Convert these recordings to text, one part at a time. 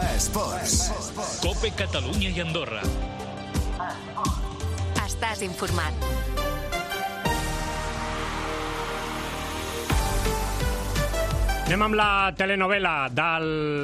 Esports. COPE Catalunya i Andorra. Estàs informat. Anem amb la telenovela de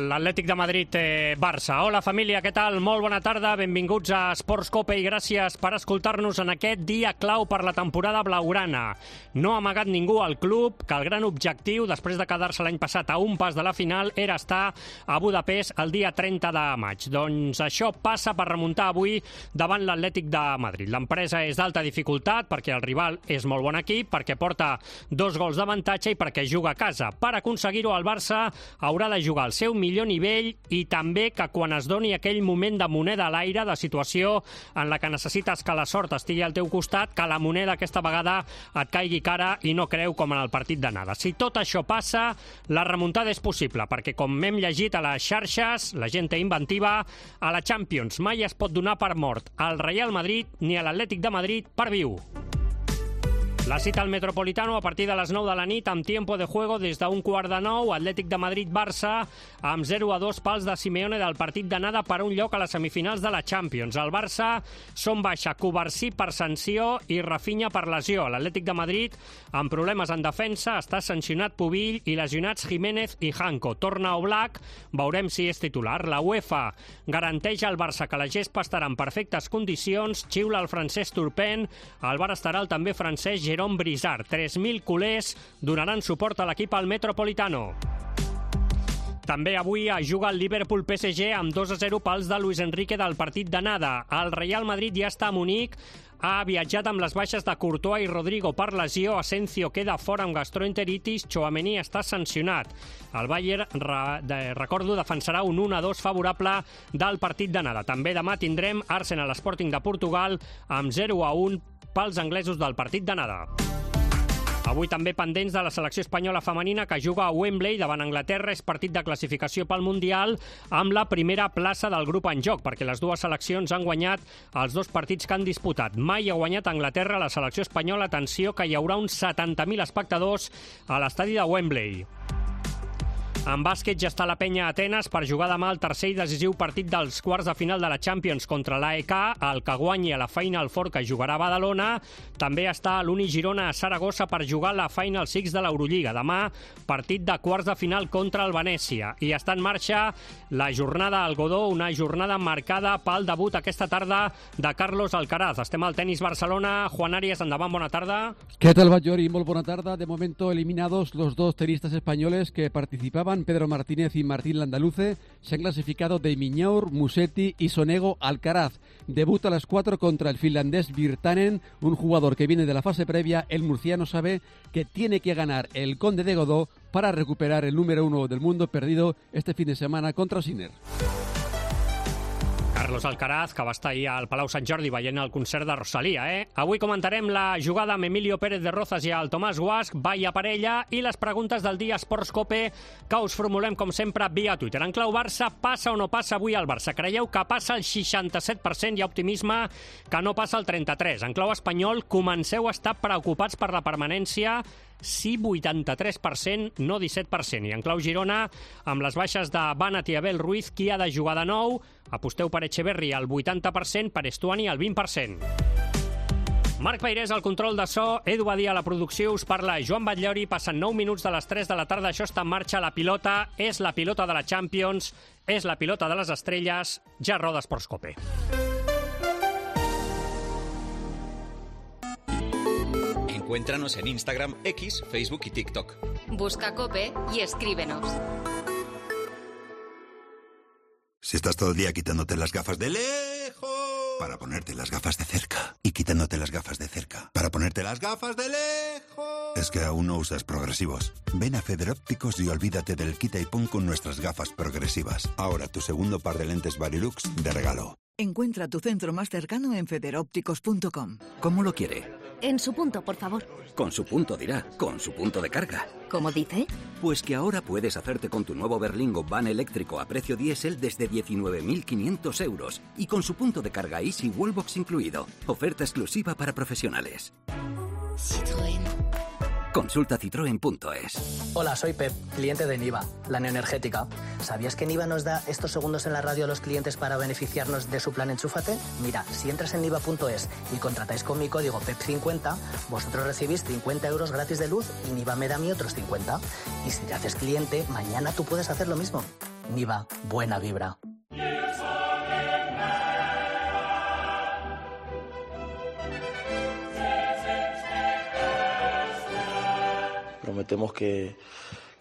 l'Atlètic de Madrid-Barça. Hola família, què tal? Molt bona tarda, benvinguts a Esports Cope i gràcies per escoltar-nos en aquest dia clau per la temporada blaugrana. No ha amagat ningú al club que el gran objectiu, després de quedar-se l'any passat a un pas de la final, era estar a Budapest el dia 30 de maig. Doncs això passa per remuntar avui davant l'Atlètic de Madrid. L'empresa és d'alta dificultat perquè el rival és molt bon equip, perquè porta 2 gols d'avantatge i perquè juga a casa. Per aconseguir el Barça haurà de jugar al seu millor nivell i també que quan es doni aquell moment de moneda a l'aire, de situació en la que necessites que la sort estigui al teu costat, que la moneda aquesta vegada et caigui cara i no creu com en el partit d'anada. Si tot això passa, la remuntada és possible, perquè com hem llegit a les xarxes, la gent té inventiva, a la Champions mai es pot donar per mort al Real Madrid ni a l'Atlètic de Madrid per viu. La cita al Metropolitano a partir de les 9 de la nit amb tiempo de juego des d'un 8:45, Atlètic de Madrid-Barça amb 0-2 pals de Simeone del partit d'anada per un lloc a les semifinals de la Champions. El Barça són baixa Cubarsí per sanció i Rafinha per lesió. L'Atlètic de Madrid amb problemes en defensa, està sancionat Pubill i lesionats Jiménez i Janko. Torna Oblak, veurem si és titular. La UEFA garanteix al Barça que la gespa estarà en perfectes condicions, xiula el francès Turpin, al bar estarà el també francès Jérôme Brizard. 3.000 culers donaran suport a l'equip al Metropolitano. També avui juga el Liverpool-PSG amb 2-0 pals de Luis Enrique del partit d'anada. El Real Madrid ja està a Munic, ha viatjat amb les baixes de Courtois i Rodrigo per lesió, Asensio queda fora amb gastroenteritis, Tchouaméni està sancionat. El Bayern, recordo, defensarà un 1-2 favorable del partit d'anada. També demà tindrem Arsenal Sporting de Portugal amb 0-1 pels anglesos del partit d'anada. Avui també pendents de la selecció espanyola femenina que juga a Wembley davant Anglaterra. És partit de classificació pel Mundial amb la primera plaça del grup en joc, perquè les dues seleccions han guanyat els 2 partits que han disputat. Mai ha guanyat Anglaterra la selecció espanyola. Atenció, que hi haurà uns 70.000 espectadors a l'estadi de Wembley. En bàsquet ja està la penya a Atenes per jugar demà el tercer i decisiu partit dels quarts de final de la Champions contra l'AEK. El que guanyi a la Final Four, que jugarà a Badalona. També està l'Uni Girona a Saragossa per jugar la Final Six de l'Eurolliga. Demà, partit de quarts de final contra el Venècia. I està en marxa la jornada al Godó, una jornada marcada pel debut aquesta tarda de Carlos Alcaraz. Estem al Tenis Barcelona. Juan Arias, endavant, bona tarda. ¿Qué tal, Batllori? Muy buena tarde. De momento eliminados los 2 tenistas españoles que participaban. Pedro Martínez y Martín Landaluce se han clasificado de Miñaur, Musetti y Sonego Alcaraz. Debuta a las 4 contra el finlandés Virtanen, un jugador que viene de la fase previa. El murciano sabe que tiene que ganar el Conde de Godó para recuperar el número 1 del mundo perdido este fin de semana contra Sinner. Carlos Alcaraz, que va estar ahir al Palau Sant Jordi veient el concert de Rosalía. Avui comentarem la jugada amb Emilio Pérez de Rozas i el Tomàs Guasch, Valla Parella, i les preguntes del dia Esports Cope que us formulem, com sempre, via Twitter. En clau Barça, passa o no passa avui al Barça? Creieu que passa el 67%? Hi ha optimisme que no passa el 33%. En clau espanyol, comenceu a estar preocupats per la permanència? Sí, 83%, no 17%. I en clau Girona, amb les baixes de Banat i Abel Ruiz, qui ha de jugar de nou? Aposteu per Echeverri al 80%, per Estuani al 20%. Marc Peirés al control de so, Edu Badia a la producció, us parla Joan Batllori. Passen 9 minuts de les 3 de la tarda, això està en marxa. La pilota és la pilota de la Champions, és la pilota de les estrelles. Ja roda Esports Cope. Encuéntranos en Instagram, X, Facebook y TikTok. Busca Cope y escríbenos. Si estás todo el día quitándote las gafas de lejos para ponerte las gafas de cerca y quitándote las gafas de cerca para ponerte las gafas de lejos, es que aún no usas progresivos. Ven a Federópticos y olvídate del quita y pon con nuestras gafas progresivas. Ahora tu segundo par de lentes Varilux de regalo. Encuentra tu centro más cercano en federópticos.com. ¿Cómo lo quiere? En su punto, por favor. Con su punto dirá, con su punto de carga. ¿Cómo dice? Pues que ahora puedes hacerte con tu nuevo Berlingo Van eléctrico a precio diésel desde 19.500 euros y con su punto de carga Easy Wallbox incluido. Oferta exclusiva para profesionales. Citroën. Con Consulta citroen.es. Hola, soy Pep, cliente de Niva, la neoenergética. ¿Sabías que Niva nos da estos segundos en la radio a los clientes para beneficiarnos de su plan Enchúfate? Mira, si entras en niva.es y contratáis con mi código PEP50, vosotros recibís 50 euros gratis de luz y Niva me da a mí otros 50. Y si te haces cliente, mañana tú puedes hacer lo mismo. Niva, buena vibra. Prometemos que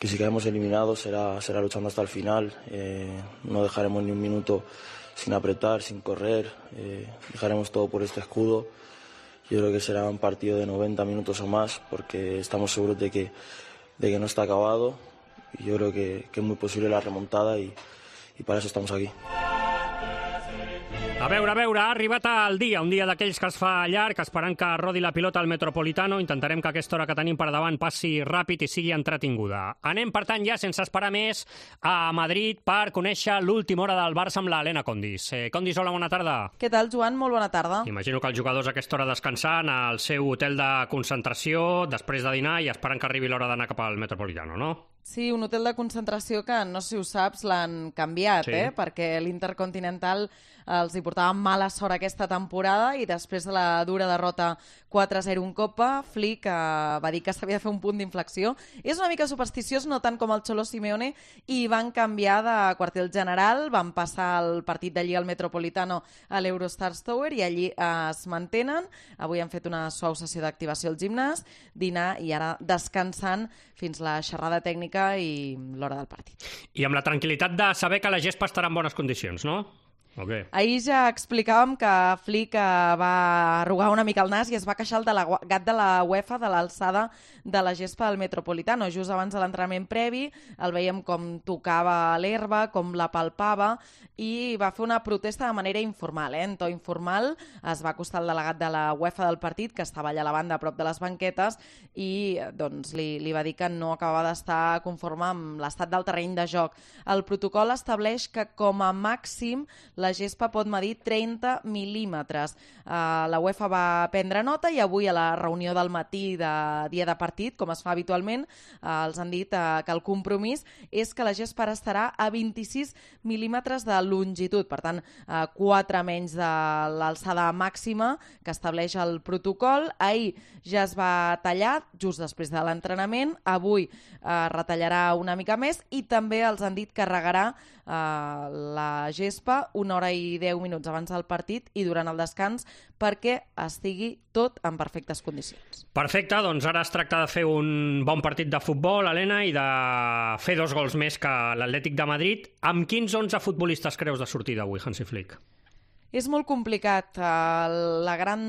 si caemos eliminados será luchando hasta el final. No dejaremos ni un minuto sin apretar, sin correr. Dejaremos todo por este escudo. Yo creo que será un partido de 90 minutos o más, porque estamos seguros de que no está acabado. Y yo creo que es muy posible la remontada y para eso estamos aquí. A veure, ha arribat el dia, un dia d'aquells que es fa llarg, esperant que rodi la pilota al Metropolitano. Intentarem que aquesta hora que tenim per davant passi ràpid i sigui entretinguda. Anem, per tant, ja, sense esperar més, a Madrid per conèixer l'última hora del Barça amb l'Helena Condis. Condis, hola, bona tarda. Què tal, Joan? Molt bona tarda. Imagino que els jugadors a aquesta hora descansant al seu hotel de concentració, després de dinar i esperant que arribi l'hora d'anar cap al Metropolitano, no? Sí, un hotel de concentració que, no sé si ho saps, l'han canviat, sí. Perquè l'Intercontinental els hi portava mala sort aquesta temporada i després de la dura derrota 4-0 en Copa, Flick va dir que s'havia de fer un punt d'inflexió. És una mica supersticiós, no tant com el Cholo Simeone, i van canviar de quartel general, van passar el partit d'allí al Metropolitano a l'Eurostars Tower i allí es mantenen. Avui han fet una suau sessió d'activació al gimnàs, dinar i ara descansant fins la xerrada tècnica i l'hora del partit. I amb la tranquil·litat de saber que la gespa estarà en bones condicions, no? Okay. Ahir ja explicàvem que Flick va arrugar una mica el nas i es va queixar el delegat de la UEFA de l'alçada de la gespa del Metropolitano. Just abans de l'entrenament previ el veiem com tocava l'herba, com la palpava i va fer una protesta de manera informal, en to informal. Es va acostar el delegat de la UEFA del partit, que estava allà a la banda a prop de les banquetes, i doncs, li va dir que no acabava d'estar conforme amb l'estat del terreny de joc. El protocol estableix que com a màxim la gespa pot medir 30 mil·límetres. La UEFA va prendre nota i avui a la reunió del matí de dia de partit, com es fa habitualment, els han dit que el compromís és que la gespa estarà a 26 mil·límetres de longitud, per tant, 4 menys de l'alçada màxima que estableix el protocol. Ahir ja es va tallar, just després de l'entrenament, avui retallarà una mica més i també els han dit que regarà la gespa 1 hora i 10 minuts abans del partit i durant el descans perquè estigui tot en perfectes condicions. Perfecte, doncs ara es tracta de fer un bon partit de futbol, Helena, i de fer 2 gols més que l'Atlètic de Madrid. Amb quins 11 futbolistes creus de sortida avui, Hansi Flick? És molt complicat. La gran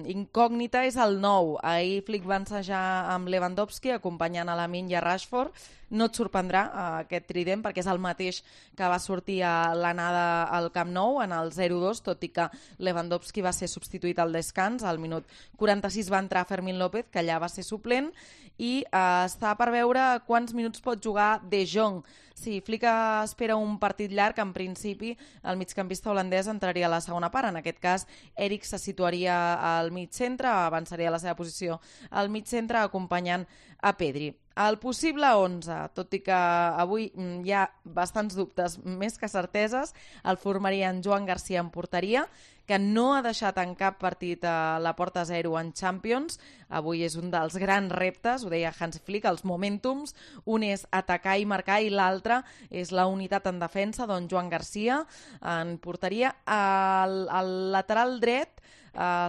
incògnita és el 9. Ahir Flick va ensejar amb Lewandowski, acompanyant a Lamine i a Rashford. No et sorprendrà aquest trident, perquè és el mateix que va sortir a l'anada al Camp Nou en el 0-2, tot i que Lewandowski va ser substituït al descans. Al minut 46 va entrar Fermín López, que allà va ser suplent, i està per veure quants minuts pot jugar De Jong. Sí, Flick espera un partit llarg. En principi, el migcampista holandès entraria a la segona part. En aquest cas, Eric se situaria al mig centre, avançaria a la seva posició al mig centre, acompanyant a Pedri. El possible 11, tot i que avui hi ha bastants dubtes, més que certeses, el formarien Joan Garcia en porteria, que no ha deixat en cap partit a la porta 0 en Champions. Avui és un dels grans reptes, ho deia Hansi Flick, els momentums. Un és atacar i marcar i l'altre és la unitat en defensa, doncs Joan Garcia en porteria. Al lateral dret,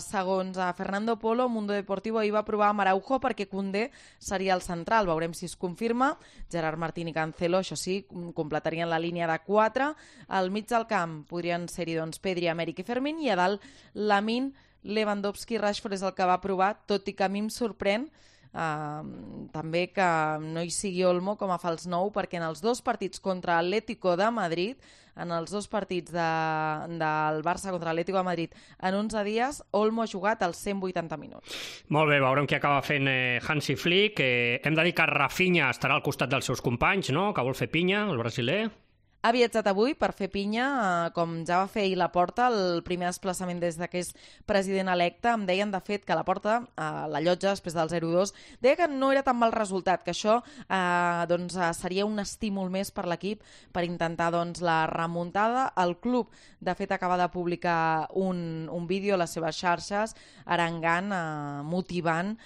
segons Fernando Polo, Mundo Deportivo ahir va provar amb Araujo perquè Koundé seria el central. Veurem si es confirma. Gerard Martín i Cancelo, això sí, completarien la línia de 4. Al mig del camp podrien ser-hi doncs, Pedri, Améric i Fermín, i a dalt Lamine, Lewandowski i Rashford és el que va provar, tot i que a mi em sorprèn també que no hi sigui Olmo com a fals 9, perquè en els 2 partits contra Atlético de Madrid, en els 2 partits del Barça contra l'Atlético de Madrid en 11 dies, Olmo ha jugat els 180 minuts. Molt bé, veurem què acaba fent Hansi Flick. Hem de dir que Rafinha estarà al costat dels seus companys, no?, que vol fer pinya, el brasiler. ha viatjat avui per fer pinya, com ja va fer ahir Laporta, el primer desplaçament des que és president electe. Em deien, de fet, que Laporta, la llotja, després del 0-2, deia que no era tan mal resultat, que això seria un estímul més per l'equip per intentar la remuntada. El club, de fet, acaba de publicar un vídeo a les seves xarxes arengant, motivant,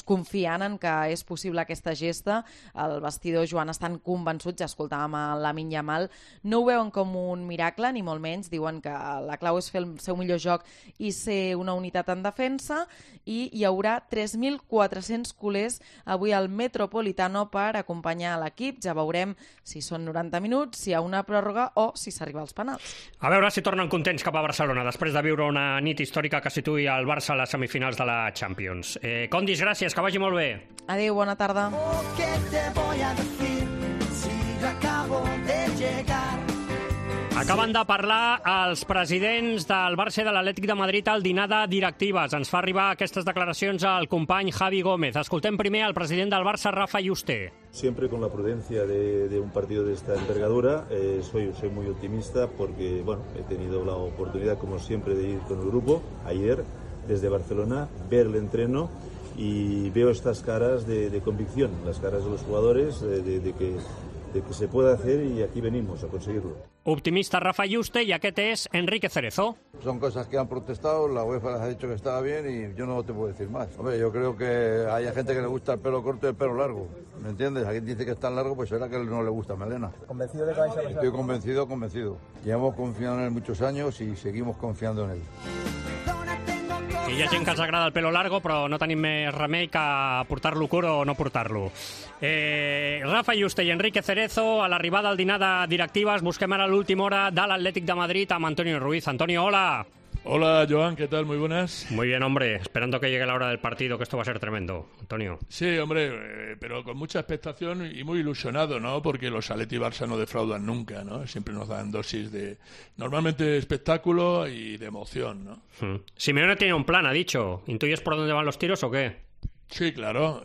confiant en que és possible aquesta gesta. El vestidor, Joan, estan convençuts, ja escoltàvem a Lamine Yamal, no ho veuen com un miracle, ni molt menys, diuen que la clau és fer el seu millor joc i ser una unitat en defensa, i hi haurà 3.400 culers avui al Metropolitano per acompanyar l'equip. Ja veurem si són 90 minuts, si hi ha una pròrroga o si s'arriba als penals. A veure si tornen contents cap a Barcelona després de viure una nit històrica que situï el Barça a les semifinals de la Champions. Condis, gràcies, que vagi molt bé. Adéu, bona tarda. Acaben de parlar els presidents del Barça i de l'Atlètic de Madrid al dinar de directives. Ens fa arribar aquestes declaracions al company Javi Gómez. Escoltem primer al president del Barça, Rafa Yuste. Siempre con la prudencia de un partido de esta envergadura. Soy muy optimista porque he tenido la oportunidad, como siempre, de ir con el grupo ayer desde Barcelona, ver el entreno y veo estas caras de convicción, las caras de los jugadores, de que se puede hacer, y aquí venimos a conseguirlo. Optimista Rafa Yuste, y aquest és Enrique Cerezo. Son cosas que han protestado, la UEFA les ha dicho que estaba bien y yo no te puedo decir más. Hombre, yo creo que hay gente que le gusta el pelo corto y el pelo largo, ¿me entiendes? Alguien dice que es tan largo, pues será que no le gusta melena. ¿Convencido de que vais a pasar? Estoy convencido. Llevamos confiando en él muchos años y seguimos confiando en él. Que hi ha gent que els agrada el pelo largo, però no tenim més remei que portar-lo curt o no portar-lo. Rafa Yuste i Enrique Cerezo, a l'arribada al dinar de directives. Busquem ara l'última hora de l'Atlètic de Madrid amb Antonio Ruiz. Antonio, hola. Hola, Joan, ¿qué tal? Muy buenas. Muy bien, hombre. Esperando que llegue la hora del partido, que esto va a ser tremendo. Antonio. Sí, hombre, pero con mucha expectación y muy ilusionado, ¿no? Porque los Atleti y Barça no defraudan nunca, ¿no? Siempre nos dan dosis de, normalmente, espectáculo y de emoción, ¿no? Simeone tiene un plan, ha dicho. ¿Intuyes por dónde van los tiros o qué? Sí, claro,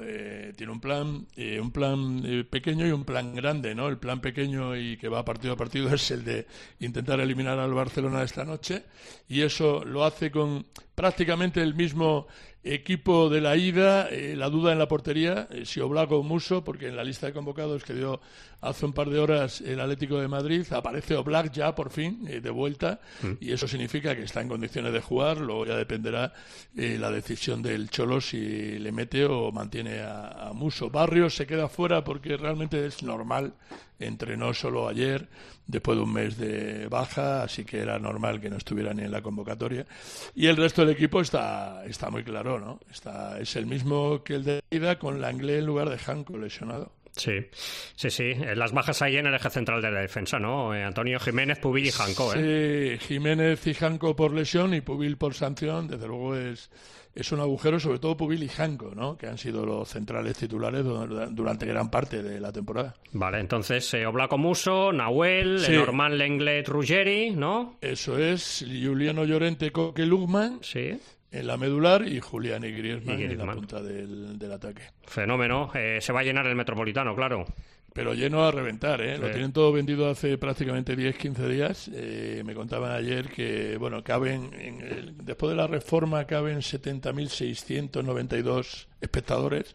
tiene un plan pequeño y un plan grande, ¿no? El plan pequeño y que va partido a partido es el de intentar eliminar al Barcelona esta noche, y eso lo hace con prácticamente el mismo equipo de la ida. La duda en la portería, si Oblak o Musso, porque en la lista de convocados que dio hace un par de horas el Atlético de Madrid aparece Oblak ya por fin de vuelta, y eso significa que está en condiciones de jugar. Luego ya dependerá la decisión del Cholo si le mete o mantiene a Musso. Barrios se queda fuera porque realmente es normal, entrenó solo ayer después de un mes de baja, así que era normal que no estuviera ni en la convocatoria, y el resto del equipo está muy claro, ¿no? Es el mismo que el de ida, con Langlais en lugar de Janko lesionado. Sí. Las bajas ahí en el eje central de la defensa, ¿no? Antonio, Jiménez, Pubil y Janko, Sí, Jiménez y Janko por lesión y Pubil por sanción. Desde luego es un agujero, sobre todo Pubil y Janko, ¿no? Que han sido los centrales titulares durante gran parte de la temporada. Vale, entonces Oblak, Musso, Nahuel, sí. Normand, Lenglet, Ruggeri, ¿no? Eso es, Juliano Llorente, Coque, Lugman. Sí. En la medular, y Julián y Griezmann en la punta del ataque. Fenómeno. Se va a llenar el Metropolitano, claro. Pero lleno a reventar, ¿eh? Sí. Lo tienen todo vendido hace prácticamente 10-15 días. Me contaban ayer que, después de la reforma caben 70.692 espectadores.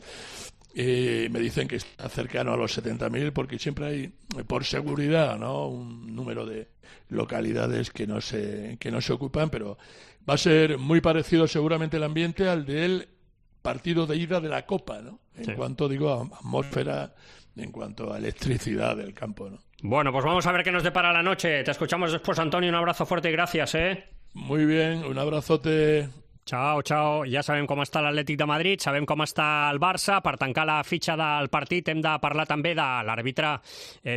Me dicen que está cercano a los 70.000 porque siempre hay, por seguridad, ¿no?, un número de localidades que no se ocupan, pero va a ser muy parecido seguramente el ambiente al del partido de ida de la Copa, ¿no? En cuanto, a atmósfera, en cuanto a electricidad del campo, ¿no? Bueno, pues vamos a ver qué nos depara la noche. Te escuchamos después, Antonio. Un abrazo fuerte y gracias, ¿eh? Muy bien, un abrazote. Ciao. Ja sabem com està l'Atlètic de Madrid, sabem com està el Barça. Per tancar la fitxa del partit hem de parlar també de l'àrbitre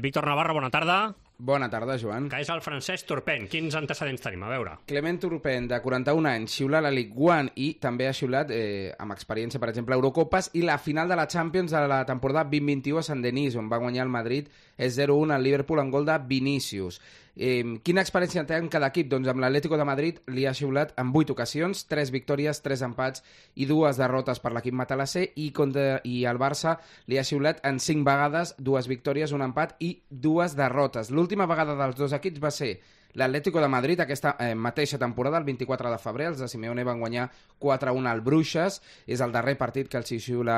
Víctor Navarro. Bona tarda. Bona tarda, Joan. Que és el Francesc Turpin. Quins antecedents tenim? A veure. Clement Turpin, de 41 anys, xiular la Ligue 1 i també ha xiulat, amb experiència, per exemple, Eurocopes i la final de la Champions de la temporada 2021 a Sant Denis, on va guanyar el Madrid 0-1 al Liverpool en gol de Vinícius. Quina experiència té en cada equip? Doncs amb l'Atlético de Madrid li ha xiulat en 8 ocasions, 3 victòries, 3 empats i 2 derrotes per l'equip matalasser, i al Barça li ha xiulat en 5 vegades, 2 victòries, un empat i 2 derrotes. L'última vegada dels dos equips va ser l'Atlético de Madrid aquesta mateixa temporada, el 24 de febrer. Els de Simeone van guanyar 4-1 al Bruixes. És el darrer partit que els xiula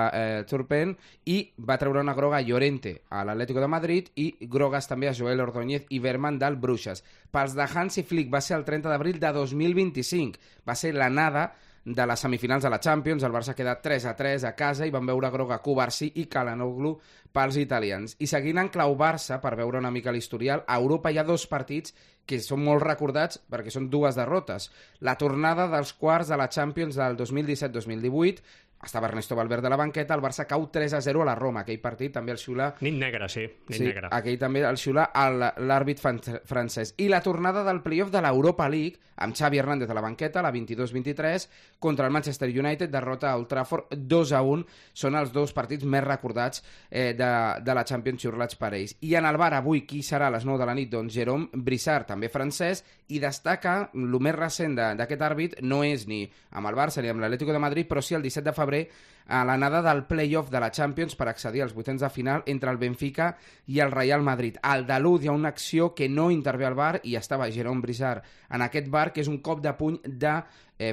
Turpen, i va treure una groga a Llorente a l'Atlético de Madrid i grogues també a Joel Ordóñez i Berman del Bruixes. Pels de Hansi Flick va ser el 30 d'abril de 2025. Va ser l'anada de les semifinals de la Champions. El Barça ha quedat 3-3 a casa i van veure groga Cubarsí i Calhanoglu pels italians. I seguint en clau Barça, per veure una mica l'historial, a Europa hi ha dos partits que són molt recordats perquè són dues derrotes. La tornada dels quarts de la Champions del 2017-2018, estava Ernesto Valverde a la banqueta, el Barça cau 3-0 a la Roma. Aquell partit també el xiula... Nit negra, sí. Negra. Aquell també el xiula l'àrbit francès. I la tornada del playoff de l'Europa League, amb Xavi Hernández a la banqueta, la 22-23, contra el Manchester United, derrota a Old Trafford 2-1. Són els dos partits més recordats de la Champions xiulats per ells. I en el bar avui, qui serà a les 9 de la nit? Doncs Jérôme Brissard, també francès, i destaca, el més recent d'aquest àrbit no és ni amb el Barça ni amb l'Atlético de Madrid, però sí el 17 de febrer a l'anada del play-off de la Champions per accedir als vuitens de final entre el Benfica i el Real Madrid. Al Dalud hi ha una acció que no intervé al VAR i estava Jérôme Brissard en aquest VAR, que és un cop de puny de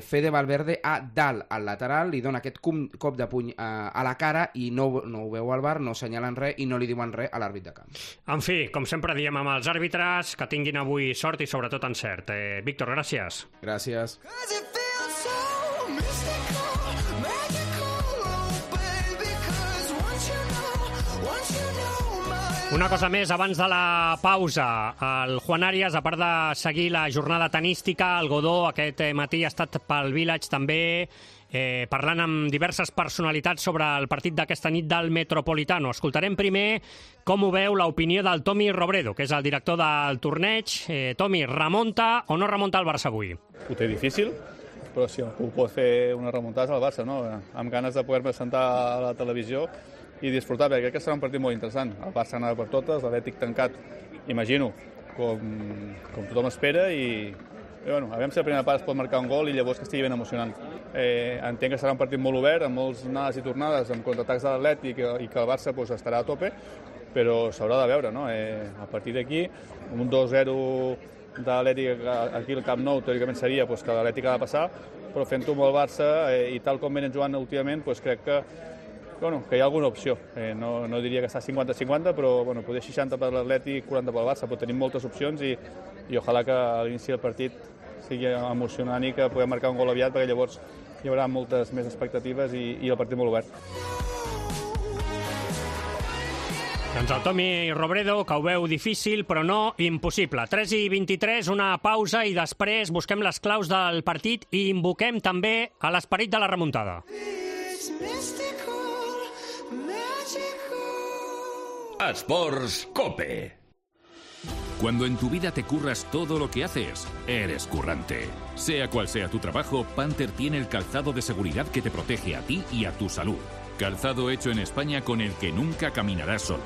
Fede Valverde a dalt, al lateral, li dona aquest cop de puny a la cara i no ho veu al VAR, no senyalen res i no li diuen res a l'àrbit de camp. En fi, com sempre diem amb els àrbitres, que tinguin avui sort i sobretot encert. Víctor, gràcies. Gràcies. Una cosa més, abans de la pausa, el Juan Arias, a part de seguir la jornada tenística, el Godó aquest matí ha estat pel Village també, parlant amb diverses personalitats sobre el partit d'aquesta nit del Metropolitano. Escoltarem primer com ho veu l'opinió del Tommy Robredo, que és el director del torneig. Tommy, remunta o no remunta el Barça avui? Ho té difícil, però si algú pot fer una remuntada és el Barça, no? Amb ganes de poder-me sentar a la televisió i disfrutar, perquè crec que serà un partit molt interessant. El Barça anava per totes, l'Atlètic tancat, imagino, com tothom espera, i bueno, aviam si la primera part es pot marcar un gol i llavors que estigui ben emocionant. Entenc que serà un partit molt obert, amb molts anades i tornades, amb contraatacs de l'Atlètic i que el Barça estarà a tope, però s'haurà de veure, no? A partir d'aquí, un 2-0 de l'Atlètic aquí al Camp Nou, teòricament seria que l'Atlètic ha de passar, però fent-ho amb el Barça i tal com venen jugant últimament, crec que hi ha alguna opció. No diria que està 50-50, però poder 60 per l'Atlètic, 40 pel Barça, però tenim moltes opcions i ojalà que a l'inici del partit sigui emocionant i que puguem marcar un gol aviat, perquè llavors hi haurà moltes més expectatives i el partit molt obert. Doncs el Tommy Robredo, que ho veu difícil, però no impossible. 3:23, una pausa i després busquem les claus del partit i invoquem també a l'esperit de la remuntada. Sports Cope. Cuando en tu vida te curras todo lo que haces, eres currante. Sea cual sea tu trabajo, Panther tiene el calzado de seguridad que te protege a ti y a tu salud. Calzado hecho en España con el que nunca caminarás solo.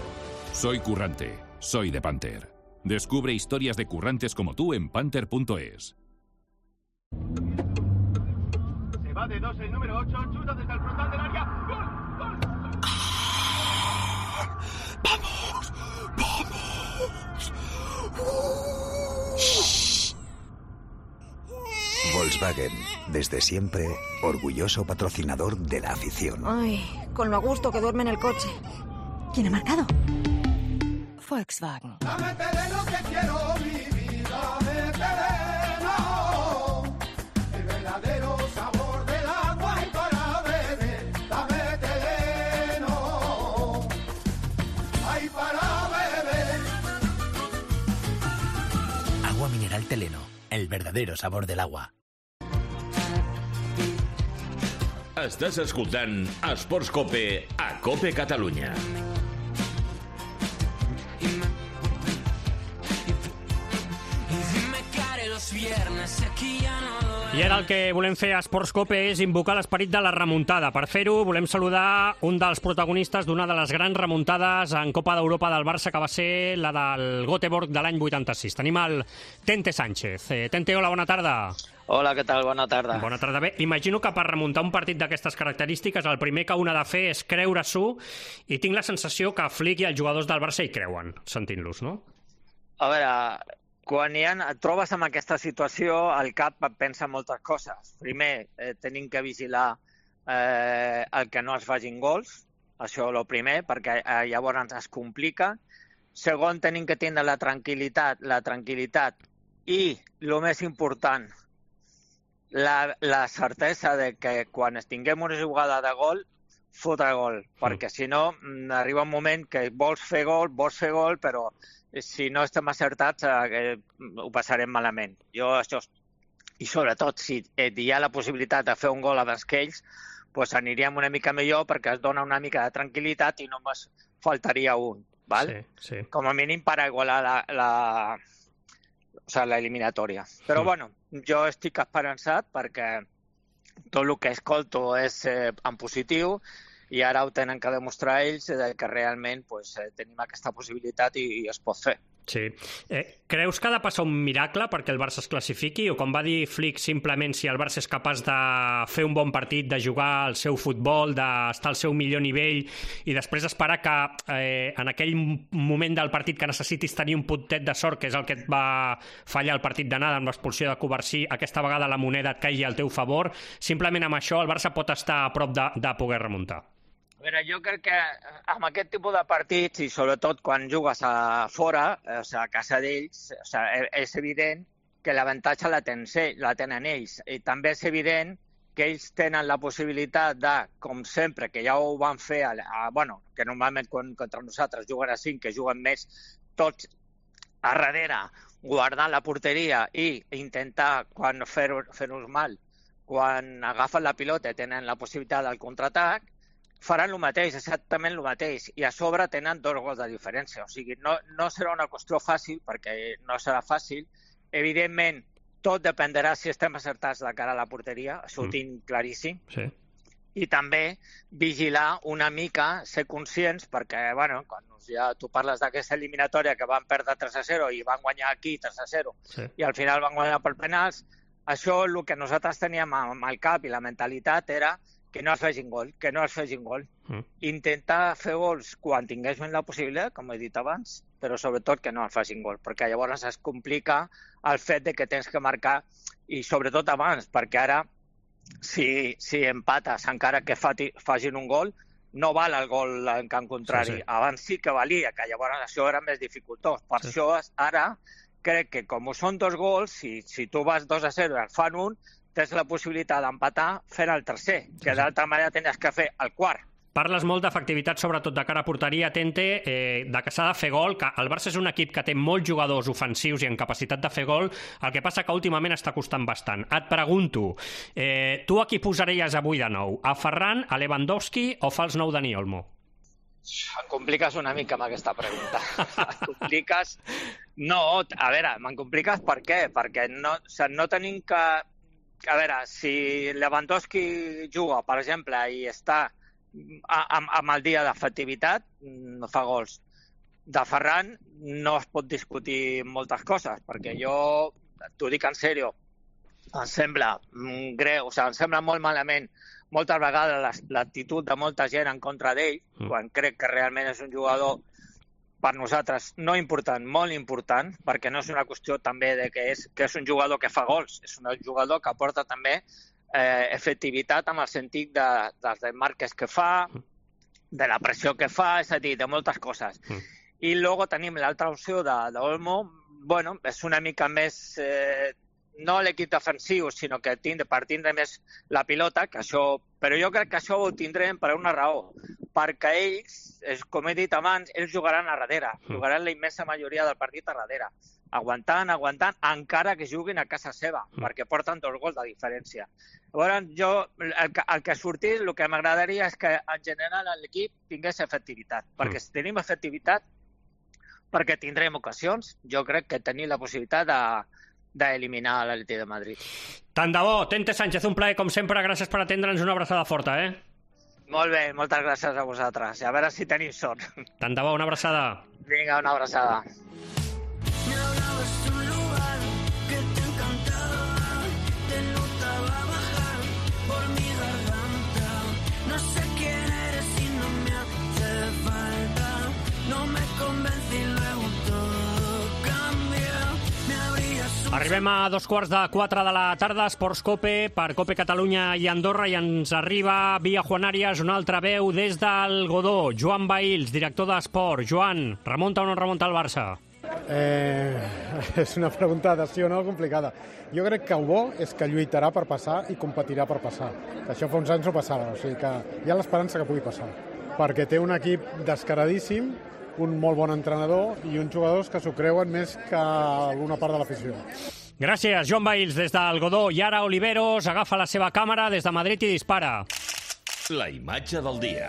Soy currante, soy de Panther. Descubre historias de currantes como tú en panther.es. Se va de 2 el número 8, chuta desde el frontal del área. ¡Gol! ¡Gol! ¡Vamos! ¡Vamos! Volkswagen, desde siempre, orgulloso patrocinador de la afición. Ay, con lo a gusto que duerme en el coche. ¿Quién ha marcado? Volkswagen. Dame terreno que quiero vivir, dame terreno. El verdadero sabor del agua y para beber, dame terreno. Ay, para beber. Agua mineral Teleno, el verdadero sabor del agua. Estàs escoltant Esports Cope a Cope Catalunya. I ara el que volem fer a Esports Cope és invocar l'esperit de la remuntada. Per fer-ho, volem saludar un dels protagonistes d'una de les grans remuntades en Copa d'Europa del Barça, que va ser la del Göteborg de l'any 86. Tenim el Tente Sánchez. Tente, hola, bona tarda. Hola, què tal? Bona tarda. Bona tarda. Bé, imagino que per remuntar un partit d'aquestes característiques el primer que un ha de fer és creure-s'ho, i tinc la sensació que Flick i els jugadors del Barça hi creuen, sentint-los, no? A veure, quan et trobes en aquesta situació, el cap pensa moltes coses. Primer, tenim que vigilar el que no es facin gols, això és el primer, perquè llavors es complica. Segon, tenim que tindre la tranquil·litat i, el més important, la certesa de que quan tinguem una jugada de gol, fotre gol, perquè si no arriba un moment que vols fer gol, però si no estem acertats ho passarem malament. I sobretot, si hi ha la possibilitat de fer un gol abans que ells, doncs aniríem una mica millor perquè es dona una mica de tranquil·litat i només faltaria un. Val? Sí. Com a mínim per igualar l'eliminatòria. Però bueno, jo estic esperançat perquè tot el que escolto és en positiu i ara ho tenen que demostrar ells que realment tenim aquesta possibilitat i es pot fer. Sí. Creus que ha de passar un miracle perquè el Barça es classifiqui? O com va dir Flick, simplement si el Barça és capaç de fer un bon partit, de jugar el seu futbol, d'estar al seu millor nivell i després esperar que en aquell moment del partit que necessitis tenir un puntet de sort, que és el que et va fallar el partit d'anada amb l'expulsió de Covarsí, aquesta vegada la moneda et caigui al teu favor, simplement amb això el Barça pot estar a prop de poder remuntar? A veure, jo crec que amb aquest tipus de partits, i sobretot quan jugues a fora, a casa d'ells, és evident que l'avantatge la tenen ells. I també és evident que ells tenen la possibilitat de, com sempre, que ja ho van fer, que normalment contra nosaltres juguen a 5, que juguen més, tots a darrere, guardant la porteria i intentar, quan fer-nos mal, quan agafen la pilota i tenen la possibilitat del contraatac, faran el mateix, exactament el mateix, i a sobre tenen 2 gols de diferència. O sigui, no serà una qüestió fàcil, perquè no serà fàcil. Evidentment, tot dependrà si estem acertats de cara a la porteria, això ho tinc claríssim. Sí. I també vigilar una mica, ser conscients, perquè, quan ja tu parles d'aquesta eliminatòria que van perdre 3-0 i van guanyar aquí 3-0, i al final van guanyar per penals, això el que nosaltres teníem amb el cap i la mentalitat era que no es facin gol, Intentar fer gols quan tinguéssim la possibilitat, com he dit abans, però sobretot que no es facin gol, perquè llavors es complica el fet de que tens que marcar, i sobretot abans, perquè ara, si empates encara que facin un gol, no val el gol en camp contrari. Abans sí que valia, que llavors això era més dificultós. Per això ara crec que com són 2 gols, si tu vas 2-0 i en fan un, tens la possibilitat d'empatar fent el tercer, que d'altra manera tenies que fer el quart. Parles molt d'efectivitat, sobretot de cara a porteria, Tente, de que s'ha de fer gol, que el Barça és un equip que té molts jugadors ofensius i en capacitat de fer gol, el que passa que últimament està costant bastant. Et pregunto, tu a qui posaries avui de nou? A Ferran, a Lewandowski o fals nou Dani Olmo? Em compliques una mica amb aquesta pregunta. Em compliques... No, a veure, me'n compliques per què? Perquè no tenim que... A veure, si Lewandowski juga, per exemple, i està amb el dia d'efectivitat, no fa gols. De Ferran no es pot discutir moltes coses, perquè jo, t'ho dic en sèrio, em sembla greu, em sembla molt malament moltes vegades l'actitud de molta gent en contra d'ell, quan crec que realment és un jugador per nosaltres no important, molt important, perquè no és una qüestió també de que és un jugador que fa gols, és un jugador que aporta també efectivitat amb el sentit dels marques que fa, de la pressió que fa, és a dir, de moltes coses. I després tenim l'altra opció d'Olmo, és una mica més, no l'equip defensiu, sinó que per tindre més la pilota, però jo crec que això ho tindrem per una raó, perquè ells, com he dit abans, ells jugaran a darrere, jugaran la immensa majoria del partit a darrere, aguantant, encara que juguin a casa seva, perquè porten 2 gols de diferència. Llavors, jo, el que ha sortit, el que m'agradaria és que, en general, l'equip tingués efectivitat, perquè si tenim efectivitat, perquè tindrem ocasions, jo crec que tenim la possibilitat d'eliminar l'Atlètic de Madrid. Tant de bo, Tente Sánchez, un plaer, com sempre, gràcies per atendre'ns, una abraçada forta, Molt bé, moltes gràcies a vosaltres. A veure si teniu sort. Tant de bo, una abraçada. Vinga, una abraçada. No me convencí, luego todo cambió. Arribem a 3:45 de la tarda, Esports Cope, per Cope Catalunya i Andorra, i ens arriba via Juan Arias una altra veu des del Godó. Joan Bahils, director d'Esport. Joan, remunta o no remunta el Barça? És una pregunta de sí o no complicada. Jo crec que el bo és que lluitarà per passar i competirà per passar. Que això fa uns anys no passava, o sigui que hi ha l'esperança que pugui passar. Perquè té un equip descaradíssim, un molt bon entrenador i uns jugadors que s'ho creuen més que alguna part de l'afició. Gràcies, Joan Bahils, des del Godó. I ara Oliveros agafa la seva càmera des de Madrid i dispara. La imatge del dia.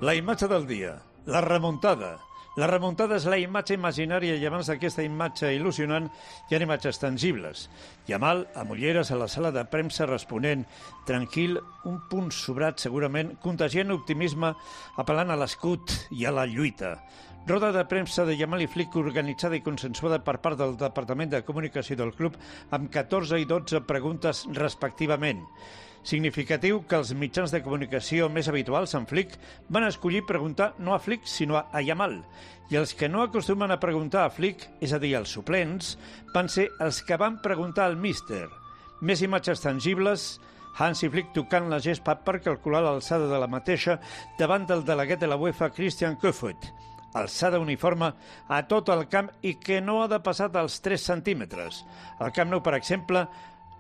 La imatge del dia, la remuntada. La remuntada és la imatge imaginària i abans d'aquesta imatge il·lusionant hi ha imatges tangibles. Yamal, amb ulleres a la sala de premsa responent, tranquil, un punt sobrat segurament, contagiant optimisme, apel·lant a l'escut i a la lluita. Roda de premsa de Yamal i Flick organitzada i consensuada per part del Departament de Comunicació del club amb 14 i 12 preguntes respectivament. Significatiu que els mitjans de comunicació més habituals en Flick van escollir preguntar no a Flick sinó a Yamal. I els que no acostumen a preguntar a Flick, és a dir, els suplents, van ser els que van preguntar al míster. Més imatges tangibles, Hansi Flick tocant la gespa per calcular l'alçada de la mateixa davant del delegat de la UEFA, Christian Kofoed. Alçada uniforme a tot el camp i que no ha de passar dels 3 centímetres. El Camp Nou, per exemple,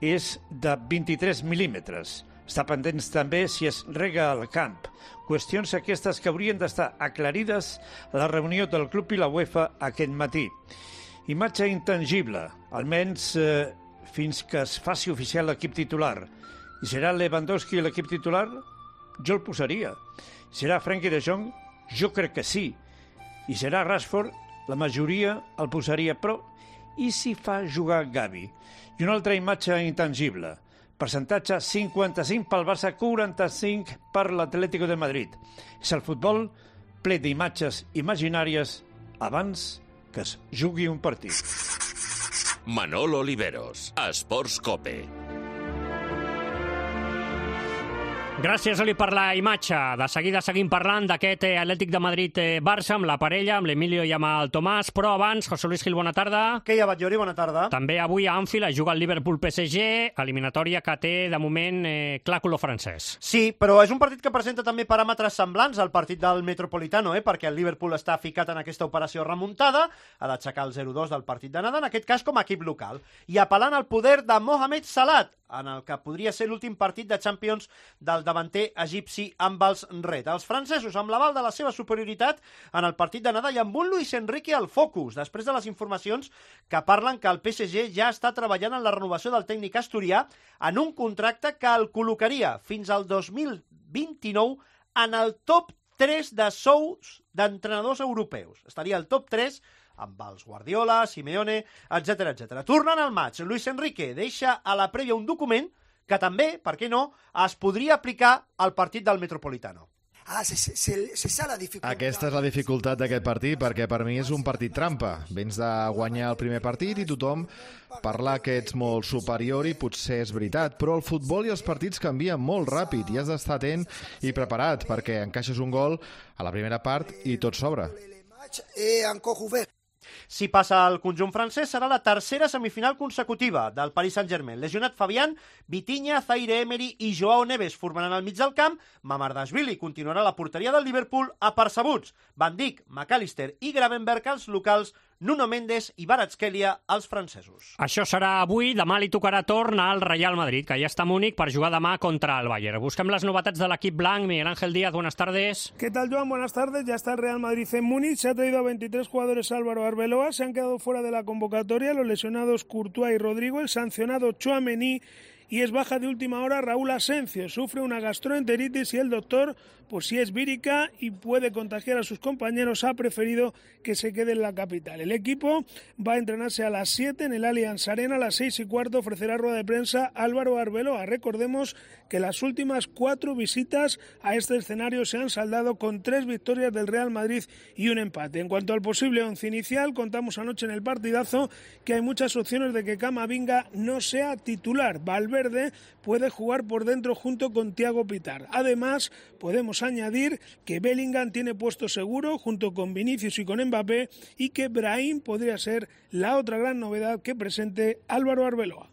és de 23 mil·límetres. Està pendents també si es rega al camp. Qüestions aquestes que haurien d'estar aclarides a la reunió del club i la UEFA aquest matí. Imatge intangible, almenys fins que es faci oficial l'equip titular. I serà Lewandowski l'equip titular? Jo el posaria. Serà Frenkie de Jong? Jo crec que sí. I serà Rashford? La majoria el posaria, però i si fa jugar Gavi? I una altra imatge intangible. Percentatge 55 pel Barça, 45 per l'Atlético de Madrid. És el futbol ple d'imatges imaginàries abans que es jugui un partit. Manolo Oliveros, Esports Cope. Gràcies, Oli, per la imatge. De seguida seguim parlant d'aquest Atlètic de Madrid-Barça amb la parella, amb l'Emilio i amb el Tomàs, però abans, José Luis Gil, bona tarda. Què hi ha, Batllori? Bona tarda. També avui a Anfield es juga el Liverpool-PSG, eliminatòria que té, de moment, clar color francès. Sí, però és un partit que presenta també paràmetres semblants al partit del Metropolitano, perquè el Liverpool està ficat en aquesta operació remuntada, ha d'aixecar el 0-2 del partit d'anada, en aquest cas com a equip local, i apel·lant al poder de Mohamed Salah, en el que podria ser l'últim partit de Champions del davanter egipci amb els Red. Els francesos, amb l'aval de la seva superioritat en el partit d'anada i amb un Luis Enrique al focus, després de les informacions que parlen que el PSG ja està treballant en la renovació del tècnic asturià en un contracte que el col·locaria fins al 2029 en el top 3 de sous d'entrenadors europeus. Estaria al top 3 amb els Guardiola, Simeone, etc. Tornant al maig, Luis Enrique deixa a la prèvia un document que també, per què no, es podria aplicar al partit del Metropolitano. Aquesta és la dificultat d'aquest partit, perquè per mi és un partit trampa. Vens de guanyar el primer partit i tothom parla que ets molt superior i potser és veritat, però el futbol i els partits canvien molt ràpid i has d'estar atent i preparat, perquè encaixes un gol a la primera part i tot s'obre. Si passa al conjunt francès, serà la tercera semifinal consecutiva del Paris Saint-Germain. Lesionat Fabián, Vitinha, Zaire Emery i Joao Neves formaran al mig del camp. Mamardashvili continuarà a la porteria del Liverpool apercebuts. Van Dijk, McAllister i Gravenberch als locals, Nuno Mendes i Kvaratskhelia als francesos. Això serà avui, demà li tocarà torn al Real Madrid, que ja està a Múnich per jugar demà contra el Bayern. Busquem les novetats de l'equip blanc. Miguel Ángel Díaz, buenas tardes. ¿Qué tal, Joan? Buenas tardes. Ya está el Real Madrid en Múnich. Se ha traído a 23 jugadores Álvaro Arbeloa. Se han quedado fuera de la convocatoria los lesionados Courtois y Rodrigo, el sancionado Tchouaméni, y es baja de última hora Raúl Asencio. Sufre una gastroenteritis y el doctor, por si es vírica y puede contagiar a sus compañeros, ha preferido que se quede en la capital. El equipo va a entrenarse a las 7 en el Allianz Arena. A las 6:15 ofrecerá rueda de prensa Álvaro Arbeloa. Recordemos que las últimas 4 visitas a este escenario se han saldado con 3 victorias del Real Madrid y un empate. En cuanto al posible once inicial, contamos anoche en el partidazo que hay muchas opciones de que Camavinga no sea titular. Valverde puede jugar por dentro junto con Thiago Pitár. Además, podemos podemos añadir que Bellingham tiene puesto seguro junto con Vinicius y con Mbappé y que Brahim podría ser la otra gran novedad que presente Álvaro Arbeloa.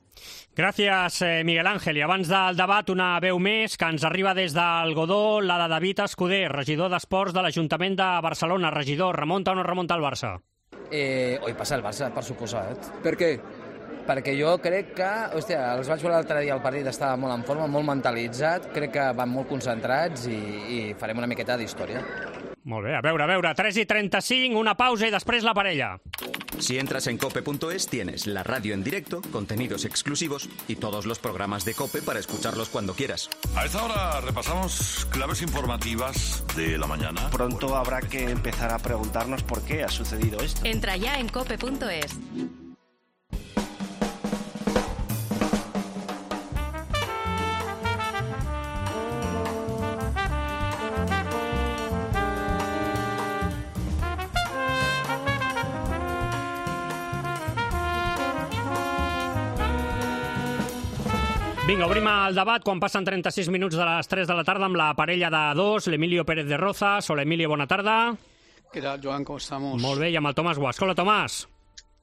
Gràcies, Miguel Ángel. I abans del debat, una veu més que ens arriba des del Godó, la de David Escuder, regidor d'Esports de l'Ajuntament de Barcelona. Regidor, remunta o no remunta el Barça? Hoy passa el Barça, per suposat. Per què? Perquè jo crec que, hòstia, els vaig veure l'altre dia, el partit estava molt en forma, molt mentalitzat, crec que van molt concentrats i farem una miqueta d'història. Molt bé, a veure, 3:35, una pausa y després la parella. Si entras en cope.es tienes la radio en directo, contenidos exclusivos y todos los programas de COPE para escucharlos cuando quieras. A esta hora repasamos claves informativas de la mañana. Pronto habrá que empezar a preguntarnos por qué ha sucedido esto. Entra ya en cope.es. Vinga, obrim el debat quan passen 36 minuts de les 3 de la tarda amb la parella de dos, l'Emilio Pérez de Rozas. Hola, Emilio, bona tarda. ¿Qué tal, Joan? ¿Cómo estamos? Molt bé, i amb el Tomàs Guasc. Hola, Tomàs.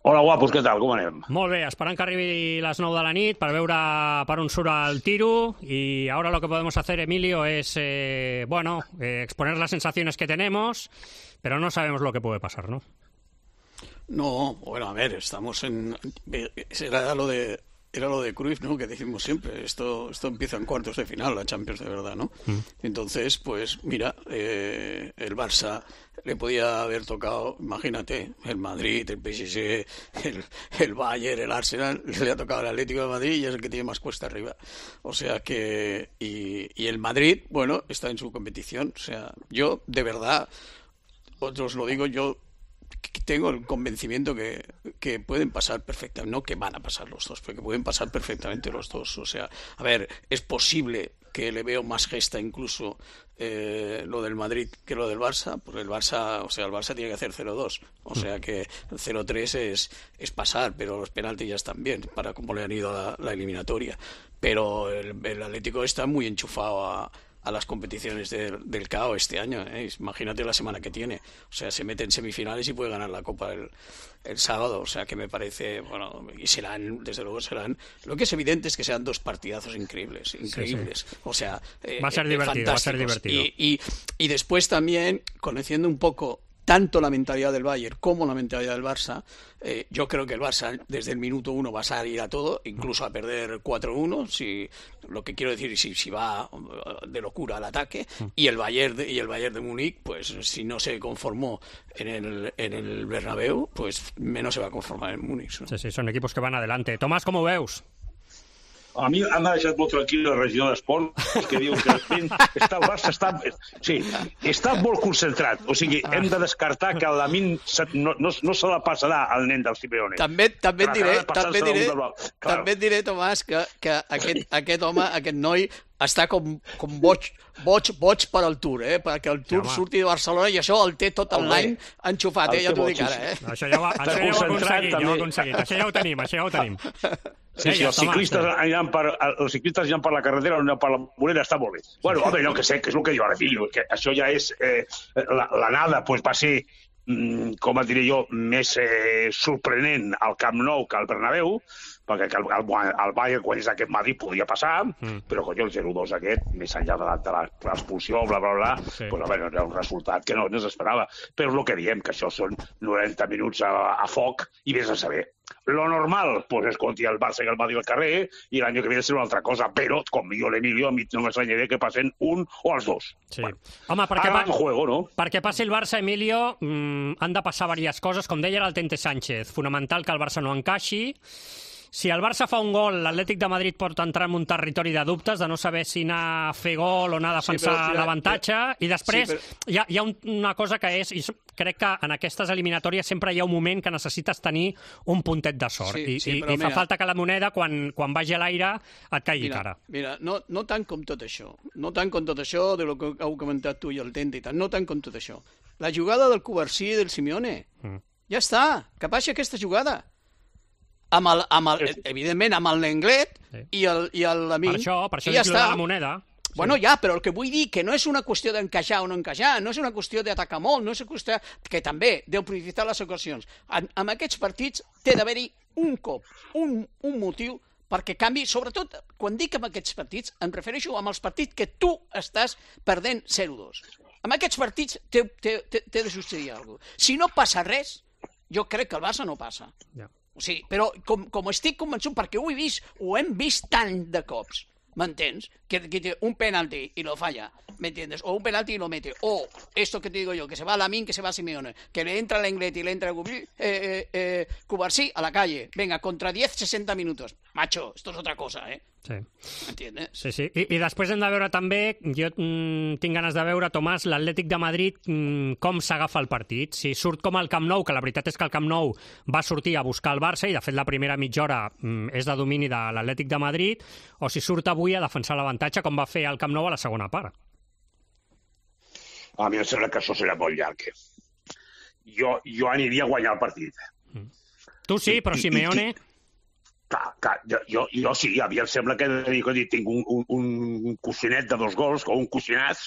Hola, guapos, què tal? Com anem? Molt bé, esperant que arribi les 9 de la nit per veure per on surt el tiro. Y ahora lo que podemos hacer, Emilio, es exponer las sensaciones que tenemos, pero no sabemos lo que puede pasar, ¿no? No, bueno, a ver, estamos en... Era lo de Cruyff, ¿no? Que decimos siempre, esto empieza en cuartos de final, la Champions de verdad, ¿no? Entonces, pues mira, el Barça le podía haber tocado, imagínate, el Madrid, el PSG, el Bayern, el Arsenal, le ha tocado el Atlético de Madrid y es el que tiene más cuesta arriba. O sea que... Y el Madrid, bueno, está en su competición. O sea, yo, de verdad, os lo digo, yo tengo el convencimiento que pueden pasar perfectamente, no que van a pasar los dos, pero que pueden pasar perfectamente los dos. O sea, a ver, es posible que le veo más gesta incluso lo del Madrid que lo del Barça, porque el Barça tiene que hacer 0-2, o sea que el 0-3 es pasar, pero los penaltis ya están bien, para cómo le han ido a la eliminatoria. Pero el Atlético está muy enchufado a las competiciones del CAO este año, ¿eh? Imagínate la semana que tiene. O sea, se mete en semifinales y puede ganar la Copa el sábado. O sea, que me parece, bueno, y desde luego serán... Lo que es evidente es que serán dos partidazos increíbles. Sí. O sea, va a ser divertido. Y después también, conociendo un poco tanto la mentalidad del Bayern como la mentalidad del Barça, yo creo que el Barça desde el minuto 1 va a salir a todo, incluso a perder 4-1, lo que quiero decir, si va de locura al ataque, y el Bayern de Múnich, pues si no se conformó en el Bernabéu, pues menos se va a conformar en Múnich, ¿no? Sí, son equipos que van adelante. Tomàs, com ho veus? A mi m'ha deixat molt tranquil el regidor d'Esport, que diu que el Barça està molt concentrat. O sigui, hem de descartar que el Lamine no se la passarà al nen del Simeone. També et diré, Tomàs, que aquest home, aquest noi, està com boig per al Tour, perquè el Tour surti de Barcelona i això el té tot l'any enxufat, ja t'ho dic ara. Això ja ho ha aconseguit, això ja ho tenim. Sí, els ciclistes aniran per la carretera o aniran per la vorera, està molt bé. Bueno, home, no, que sé, que és el que diu ara, fill, que això ja és... L'anada va ser, com et diré jo, més sorprenent al Camp Nou que al Bernabéu, perquè el Bayern, quan és aquest Madrid, podia passar, però el 0-2 aquest, més enllà de l'expulsió, bla, bla, bla, pues, era un resultat que no s'esperava. Però és el que diem, que això són 90 minuts a foc i vés a saber. Lo normal, pues es contra el Barça i el Madrid al carrer, i l'any que ve serà una altra cosa, però, com jo l'Emilio, a mi no m'estranyaré que passen un o els dos. Sí. Bueno, home, juego, no? Perquè passi el Barça, Emilio, han de passar diverses coses, com deia el Tente Sánchez, fonamental que el Barça no encaixi. Si el Barça fa un gol, l'Atlètic de Madrid pot entrar en un territori de dubtes, de no saber si anar a fer gol o anar a defensar l'avantatge, i després hi ha una cosa que és, i crec que en aquestes eliminatòries sempre hi ha un moment que necessites tenir un puntet de sort, i fa falta que la moneda, quan vagi a l'aire, et caigui cara. Mira, no tant com tot això, de lo que heu comentat tu i el Tente i tal, no tant com tot això. La jugada del Covarsí i del Simeone, ja està, que passi aquesta jugada. Evidentment amb el Lenglet i l'Amin. Per això dic la moneda. Bueno, ja, però el que vull dir que no és una qüestió d'encaixar o no encaixar, no és una qüestió d'atacar molt, no és una qüestió que també deu prioritzar les ocasions. En aquests partits té d'haver-hi un cop, un motiu perquè canvi, sobretot, quan dic amb aquests partits, em refereixo amb els partits que tu estàs perdent 0-2. En aquests partits té de succeir alguna cosa. Si no passa res, jo crec que el Barça no passa. O sigui, però com estic convençut, perquè ho he vist, ho hem vist tant de cops, ¿m'entens? Que té un penalti y lo falla, ¿me entiendes? O un penalti y lo mete. O esto que te digo yo, que se va Lamine, que se va Simeone, que le entra Lenglet y le entra Cubarsí a la calle. Venga, contra 10, 60 minutos. Macho, esto es otra cosa, ¿eh? Sí. M'entiendes? Sí. I després hem de veure també, jo tinc ganes de veure, Tomàs, l'Atlètic de Madrid, com s'agafa el partit. Si surt com el Camp Nou, que la veritat és que el Camp Nou va sortir a buscar el Barça, i de fet la primera mitja hora és de domini de l'Atlètic de Madrid, o si surt avui a defensar l'avantatge, com va fer el Camp Nou a la segona part. A mi em sembla que això serà molt llarg. Jo aniria a guanyar el partit. Tu sí, però Simeone... Clar, jo sí, a mi em sembla que tinc un coixinet de 2 gols, o un coixinàs,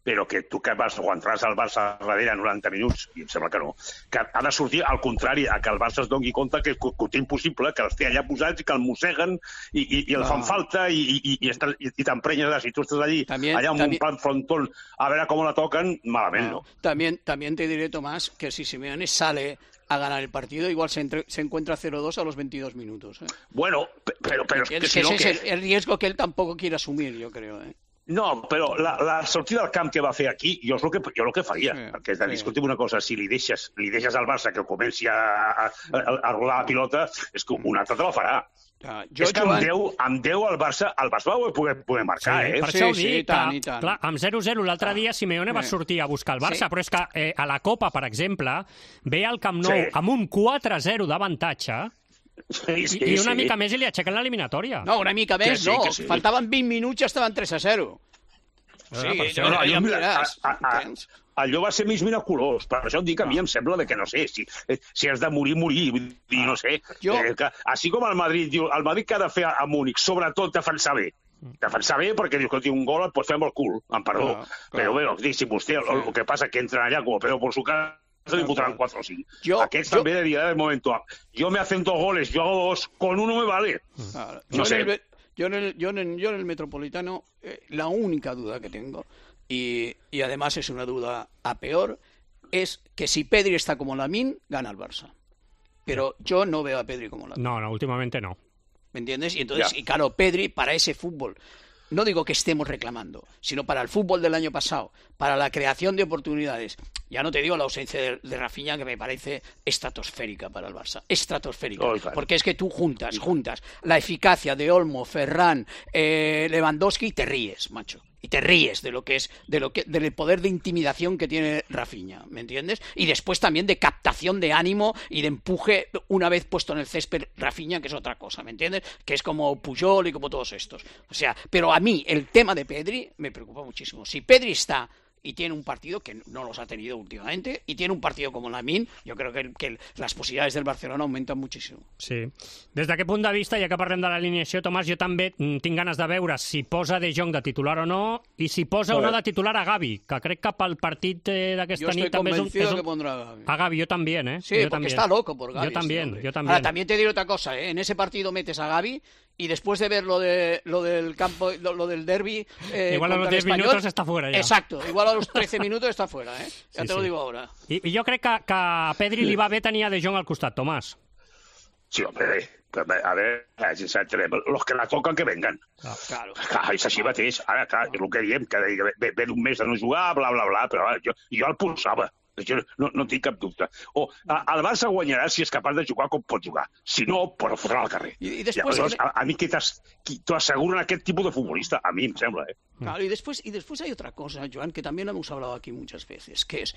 però que tu que vas aguantar-se al Barça darrere 90 minuts, i em sembla que no. Que ha de sortir al contrari, a que el Barça es doni compte que ho té impossible, que els té allà posats i que el mosseguen i el fan falta i t'emprenyes de si tu estàs allà amb un plan frontón a veure com la toquen, malament no. También te diré, Tomás, que si Simeone sale a ganar el partido, igual se encuentra 0-2 a los 22 minutos. Bueno, pero es que si no... Ese es el riesgo que él tampoco quiere asumir, yo creo. No, però la sortida del camp que va fer aquí, jo és el que faria, perquè discutim una cosa, si li deixes al Barça que comenci a rodar la pilota, és que un altre te la farà. És que amb 10 el Barça va poder marcar, Per això ho dic, que clar, amb 0-0 l'altre dia Simeone va sortir a buscar el Barça, però és que a la Copa, per exemple, ve al Camp Nou amb un 4-0 d'avantatge i una mica més i li aixequen l'eliminatòria. No, una mica més no, faltaven 20 minuts i estaven 3-0. Allò va ser mig miraculós, per això et dic que a mi em sembla que no sé, si has de morir, no sé. Així com el Madrid diu, el Madrid que ha de fer a Múnich, sobretot defensar bé. Defensar bé perquè diu que un gol et pot fer amb el cul, amb perdó. Però bé, si vostè, el que passa que entren allà com a pedo por su casa, se li fotran 4 o 5. Aquests també diran de momento, yo me hacen 2 goles, yo hago 2, con uno me vale. No sé. Yo en el Metropolitano, la única duda que tengo, y además es una duda a peor, es que si Pedri está como Lamine, gana el Barça. Pero yo no veo a Pedri como Lamine. No, últimamente no. ¿Me entiendes? Y entonces, y claro, Pedri para ese fútbol, no digo que estemos reclamando, sino para el fútbol del año pasado, para la creación de oportunidades. Ya no te digo la ausencia de Rafinha, que me parece estratosférica para el Barça. Estratosférica. Porque es que tú juntas la eficacia de Olmo, Ferran, Lewandowski y te ríes, macho. Y te ríes de lo que es, del poder de intimidación que tiene Rafinha, ¿me entiendes? Y después también de captación de ánimo y de empuje una vez puesto en el césped Rafinha, que es otra cosa, ¿me entiendes? Que es como Puyol y como todos estos. O sea, pero a mí el tema de Pedri me preocupa muchísimo. Si Pedri está y tiene un partido que no los ha tenido últimamente, y tiene un partido como Lamine, yo creo que las posibilidades del Barcelona aumentan muchísimo. Sí. Des d'aquest punt de vista, ja que parlem de l'alineació, Tomàs, jo també tinc ganes de veure si posa De Jong de titular o no, i si posa o no de titular a Gavi, que crec que pel partit d'aquesta nit també és un... Yo estoy convencido que pondrá a Gavi. A Gavi, yo también, ¿eh? Sí, porque está loco por Gavi. Yo también. Ahora, también te diré otra cosa, ¿eh? En ese partido metes a Gavi y después de ver lo del campo, lo del derbi igual a los 10 minutos está fuera ya. Exacto, igual a los 13 minutos está fuera, ¿eh? Ya sí, te lo digo ahora. I jo crec que a Pedri li va bé tenir a De Jong al costat, Tomàs. Sí, hombre, a ver, los que la tocan que vengan. Claro. És així mateix. Ara, clar, és el que diem, que ve d'un mes de no jugar, bla, bla, bla, però jo el pulsava. Jo no tinc cap dubte. El Barça guanyarà si és capaç de jugar com pot jugar. Si no, però fotrà al carrer. I després... A mi que t'asseguren aquest tipus de futbolista, a mi em sembla, Claro, y después hay otra cosa, Joan, que también hemos hablado aquí muchas veces, que es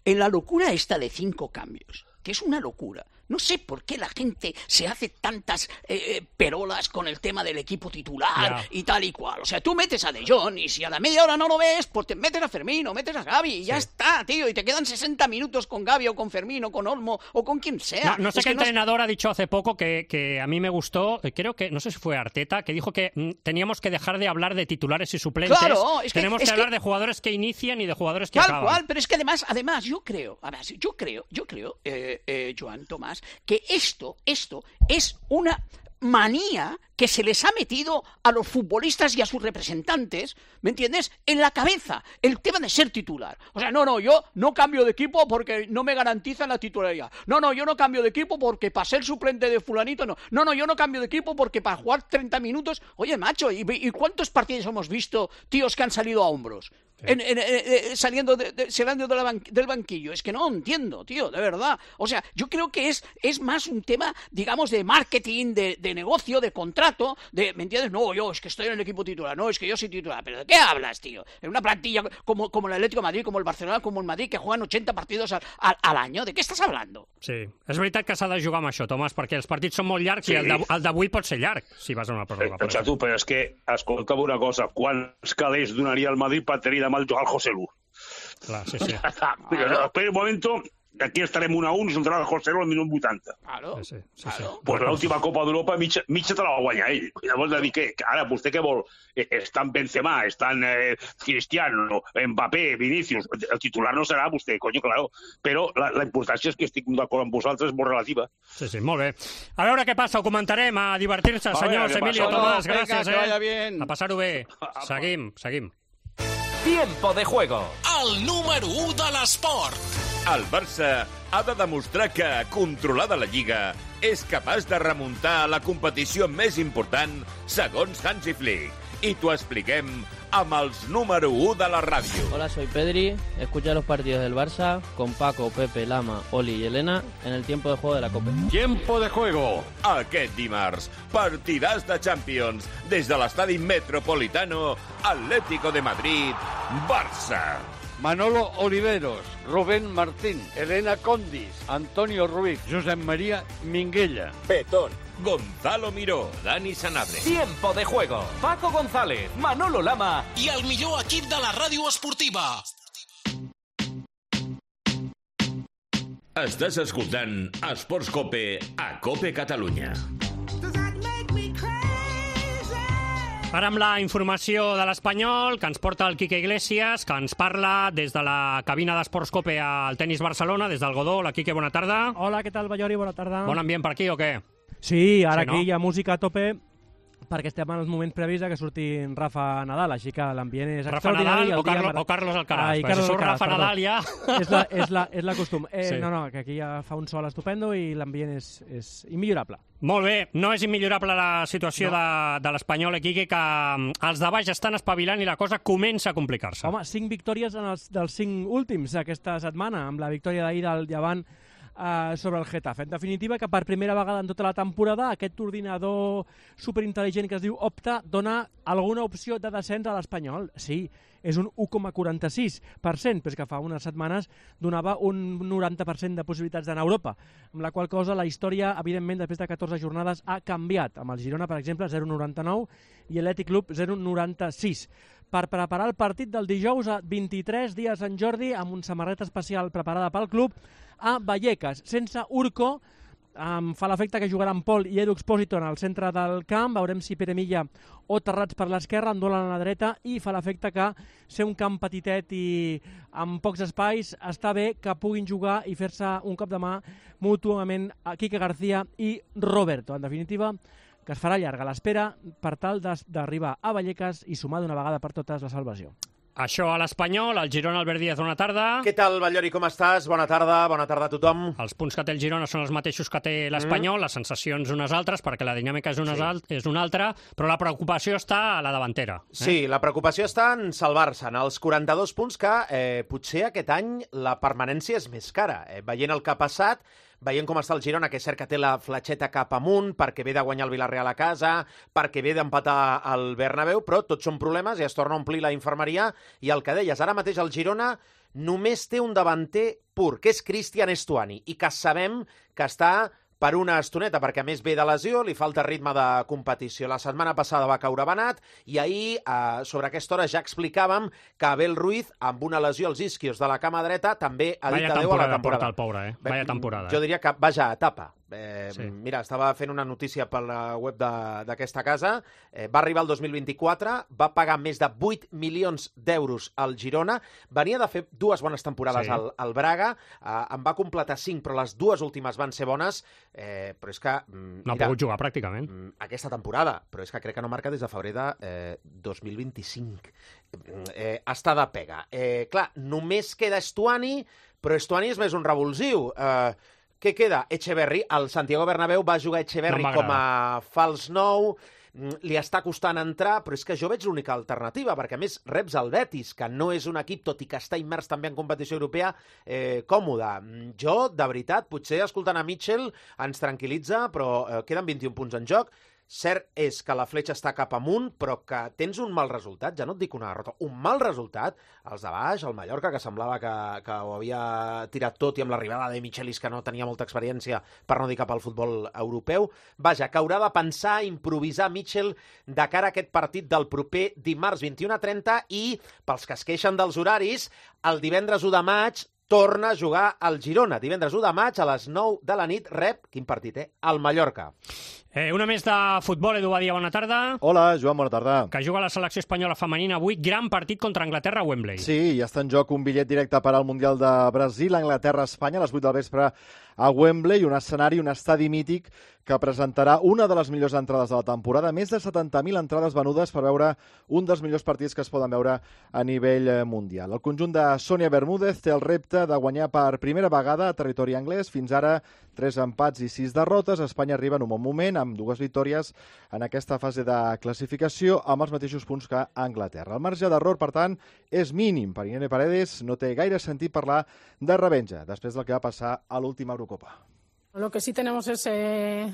en la locura esta de 5 cambios, que es una locura. No sé por qué la gente se hace tantas perolas con el tema del equipo titular y tal y cual. O sea, tú metes a De Jong y si a la media hora no lo ves, pues te metes a Fermín o metes a Gavi y ya está, tío. Y te quedan 60 minutos con Gavi o con Fermín o con Olmo o con quien sea. No sé qué entrenador ha dicho hace poco que a mí me gustó, creo que, no sé si fue Arteta, que dijo que teníamos que dejar de hablar de titulares y suplentes. Claro, tenemos que hablar de jugadores que inician y de jugadores que acaban. Tal cual, pero es que además yo creo, Joan, Tomás, que esto es una manía que se les ha metido a los futbolistas y a sus representantes, ¿me entiendes?, en la cabeza, el tema de ser titular. O sea, yo no cambio de equipo porque no me garantizan la titularidad. No, yo no cambio de equipo porque para ser suplente de fulanito, no, yo no cambio de equipo porque para jugar 30 minutos... Oye, macho, ¿y cuántos partidos hemos visto tíos que han salido a hombros? Saliendo del banquillo. Es que no entiendo, tío, de verdad. O sea, yo creo que es más un tema, digamos, de marketing, de negocio, de contrato, ¿me entiendes? No, yo es que estoy en el equipo titular, no, es que yo soy titular. ¿Pero de qué hablas, tío? En una plantilla como el Atlético de Madrid, como el Barcelona, como el Madrid, que juegan 80 partidos al año. ¿De què estàs hablando? Sí, és veritat que s'ha de jugar amb això, Tomàs, perquè els partits són molt llargs i el d'avui pot ser llarg, si vas a una pròrroga. Però és que, escolta'm una cosa, quants calés donaria el Madrid per tenir demà el jugar al José Lu? Clar, sí. Espera un momento... Aquí estarem 1-1 i s'entrarà el José al minut 80. Claro. Sí. Pues l'última Copa d'Europa mitja te la va guanyar ell. Llavors de dir que ara vostè què vol? Estan Benzema, estan Cristiano, Mbappé, Vinícius. El titular no serà vostè, coño, claro. Però la importància és que estic d'acord amb vosaltres, és molt relativa. Sí, molt bé. A veure què passa, ho comentarem, a divertir-se, senyors Emilio, Tomàs, gràcies. Que vaya bien. A passar-ho bé. Seguim. Tiempo de juego. El número 1 de l'esport. El Barça ha de demostrar que, controlada la Lliga, és capaç de remuntar la competició més important segons Hansi Flick. I t'ho expliquem amb els número 1 de la ràdio. Hola, soy Pedri. Escucha los partidos del Barça con Paco, Pepe, Lama, Oli y Elena en el tiempo de juego de la Copa. Tiempo de juego. Aquest dimarts, partidàs de Champions des de l'estadi Metropolitano, Atlético de Madrid, Barça. Manolo Oliveros, Rubén Martín, Elena Condis, Antonio Ruiz, Josep María Minguella. Petón. Gonzalo Miró, Dani Sanabria. Tiempo de juego. Paco González, Manolo Lama i el millor equip de la ràdio esportiva. Estàs escoltant Esports Cope a Cope Catalunya. Ara amb la informació de l'Espanyol, que ens porta el Quique Iglesias, que ens parla des de la cabina d'Esports Cope al Tenis Barcelona, des del Godó. Hola, Quique, bona tarda. Hola, què tal, Ballori? Bona tarda. Bon ambient per aquí o què? Sí, ara aquí hi ha música a tope, perquè estem en els moments previs que surti Rafa Nadal, així que l'ambient és extraordinari. Rafa Nadal o Carlos Alcaraz? Carlos si surt Alcaraz, Rafa Nadal ja... És la costum. No, que aquí ja fa un sol estupendo i l'ambient és immillorable. Molt bé, no és immillorable la situació de l'Espanyol, Quique, que els de baix estan espavilant i la cosa comença a complicar-se. Home, 5 victòries dels 5 últims aquesta setmana, amb la victòria d'ahir del Llevant sobre el Getafe. En definitiva, que per primera vegada en tota la temporada aquest ordinador superintel·ligent que es diu Opta dona alguna opció de descens a l'Espanyol. Sí, és un 1,46%, però és que fa unes setmanes donava un 90% de possibilitats d'anar a Europa, amb la qual cosa la història, evidentment, després de 14 jornades ha canviat. Amb el Girona, per exemple, 0,99 i l'Atlètic Club 0,96. Per preparar el partit del dijous a 23 dies en Jordi, amb una samarreta especial preparada pel club, a Vallecas, sense Urco. Fa l'efecte que jugaran Pol i Edu Expósito en el centre del camp. Veurem si Pere Milla o Terrats per l'esquerra, Andola a la dreta, i fa l'efecte que ser un camp petitet i amb pocs espais està bé que puguin jugar i fer-se un cop de mà mútuament a Quique García i Roberto. En definitiva, que es farà llarga l'espera per tal d'arribar a Vallecas i sumar d'una vegada per totes la salvació. Això a l'Espanyol, el Girona, Albert Díaz, bona tarda. Què tal, Ballori, com estàs? Bona tarda a tothom. Els punts que té el Girona són els mateixos que té l'Espanyol, les sensacions unes altres, perquè la dinàmica és una altra, però la preocupació està a la davantera. Sí, la preocupació està en salvar-se, en els 42 punts que potser aquest any la permanència és més cara. Veient el que ha passat, veient com està el Girona, que és cert que té la fletxeta cap amunt, perquè ve de guanyar el Villarreal a casa, perquè ve d'empatar el Bernabéu, però tots són problemes i es torna a omplir la infermeria. I el que deies, ara mateix el Girona només té un davanter pur, que és Cristian Estuani, i que sabem que està per una estoneta, perquè a més ve de lesió, li falta ritme de competició. La setmana passada va caure Benat i ahir, sobre aquesta hora, ja explicàvem que Abel Ruiz, amb una lesió als isquios de la cama dreta, també ha dit adéu a la temporada. Porta el pobre, Vaya temporada. Jo diria que vaja etapa. Sí. Mira, estava fent una notícia per la web d'aquesta casa. Va arribar el 2024, va pagar més de 8 milions d'euros al Girona, venia de fer 2 bones temporades al Braga, en va completar 5, però les 2 últimes van ser bones, però és que... No ha pogut jugar pràcticament. Aquesta temporada, però és que crec que no marca des de febrer de 2025. Està de pega. Clar, només queda Estuani, però Estuani és més un revulsiu. Què queda? Echeverri. Al Santiago Bernabéu va jugar Echeverri com a fals nou. Li està costant entrar, però és que jo veig l'única alternativa, perquè a més reps el Betis, que no és un equip, tot i que està immers també en competició europea, còmode. Jo, de veritat, potser escoltant a Mitchell ens tranquil·litza, però queden 21 punts en joc. Cert és que la fletxa està cap amunt, però que tens un mal resultat, ja no et dic una derrota, un mal resultat, els de baix, el Mallorca, que semblava que ho havia tirat tot, i amb l'arribada de Michelis, que no tenia molta experiència, per no dir cap al futbol europeu. Vaja, que haurà de pensar, improvisar Mitchell de cara a aquest partit del proper dimarts 21:30, i pels que es queixen dels horaris, el divendres 1 de maig torna a jugar al Girona. Divendres 1 de maig a les 9 de la nit rep, quin partit, el Mallorca. Una més de futbol, Edu Badia, bona tarda. Hola, Joan, bona tarda. Que juga la selecció espanyola femenina avui, gran partit contra Anglaterra a Wembley. Sí, ja està en joc un bitllet directe per al Mundial de Brasil, Anglaterra-Espanya, a les 8 del vespre a Wembley, un escenari, un estadi mític que presentarà una de les millors entrades de la temporada, més de 70.000 entrades venudes per veure un dels millors partits que es poden veure a nivell mundial. El conjunt de Sònia Bermúdez té el repte de guanyar per primera vegada a territori anglès, fins ara 3 empats i 6 derrotes. Espanya arriba en un bon moment, amb 2 victòries en aquesta fase de classificació, amb els mateixos punts que Anglaterra. El marge d'error, per tant, és mínim. Per Irene Paredes no té gaire sentit parlar de revenja, després del que va passar a l'última Eurocopa. Lo que sí tenemos es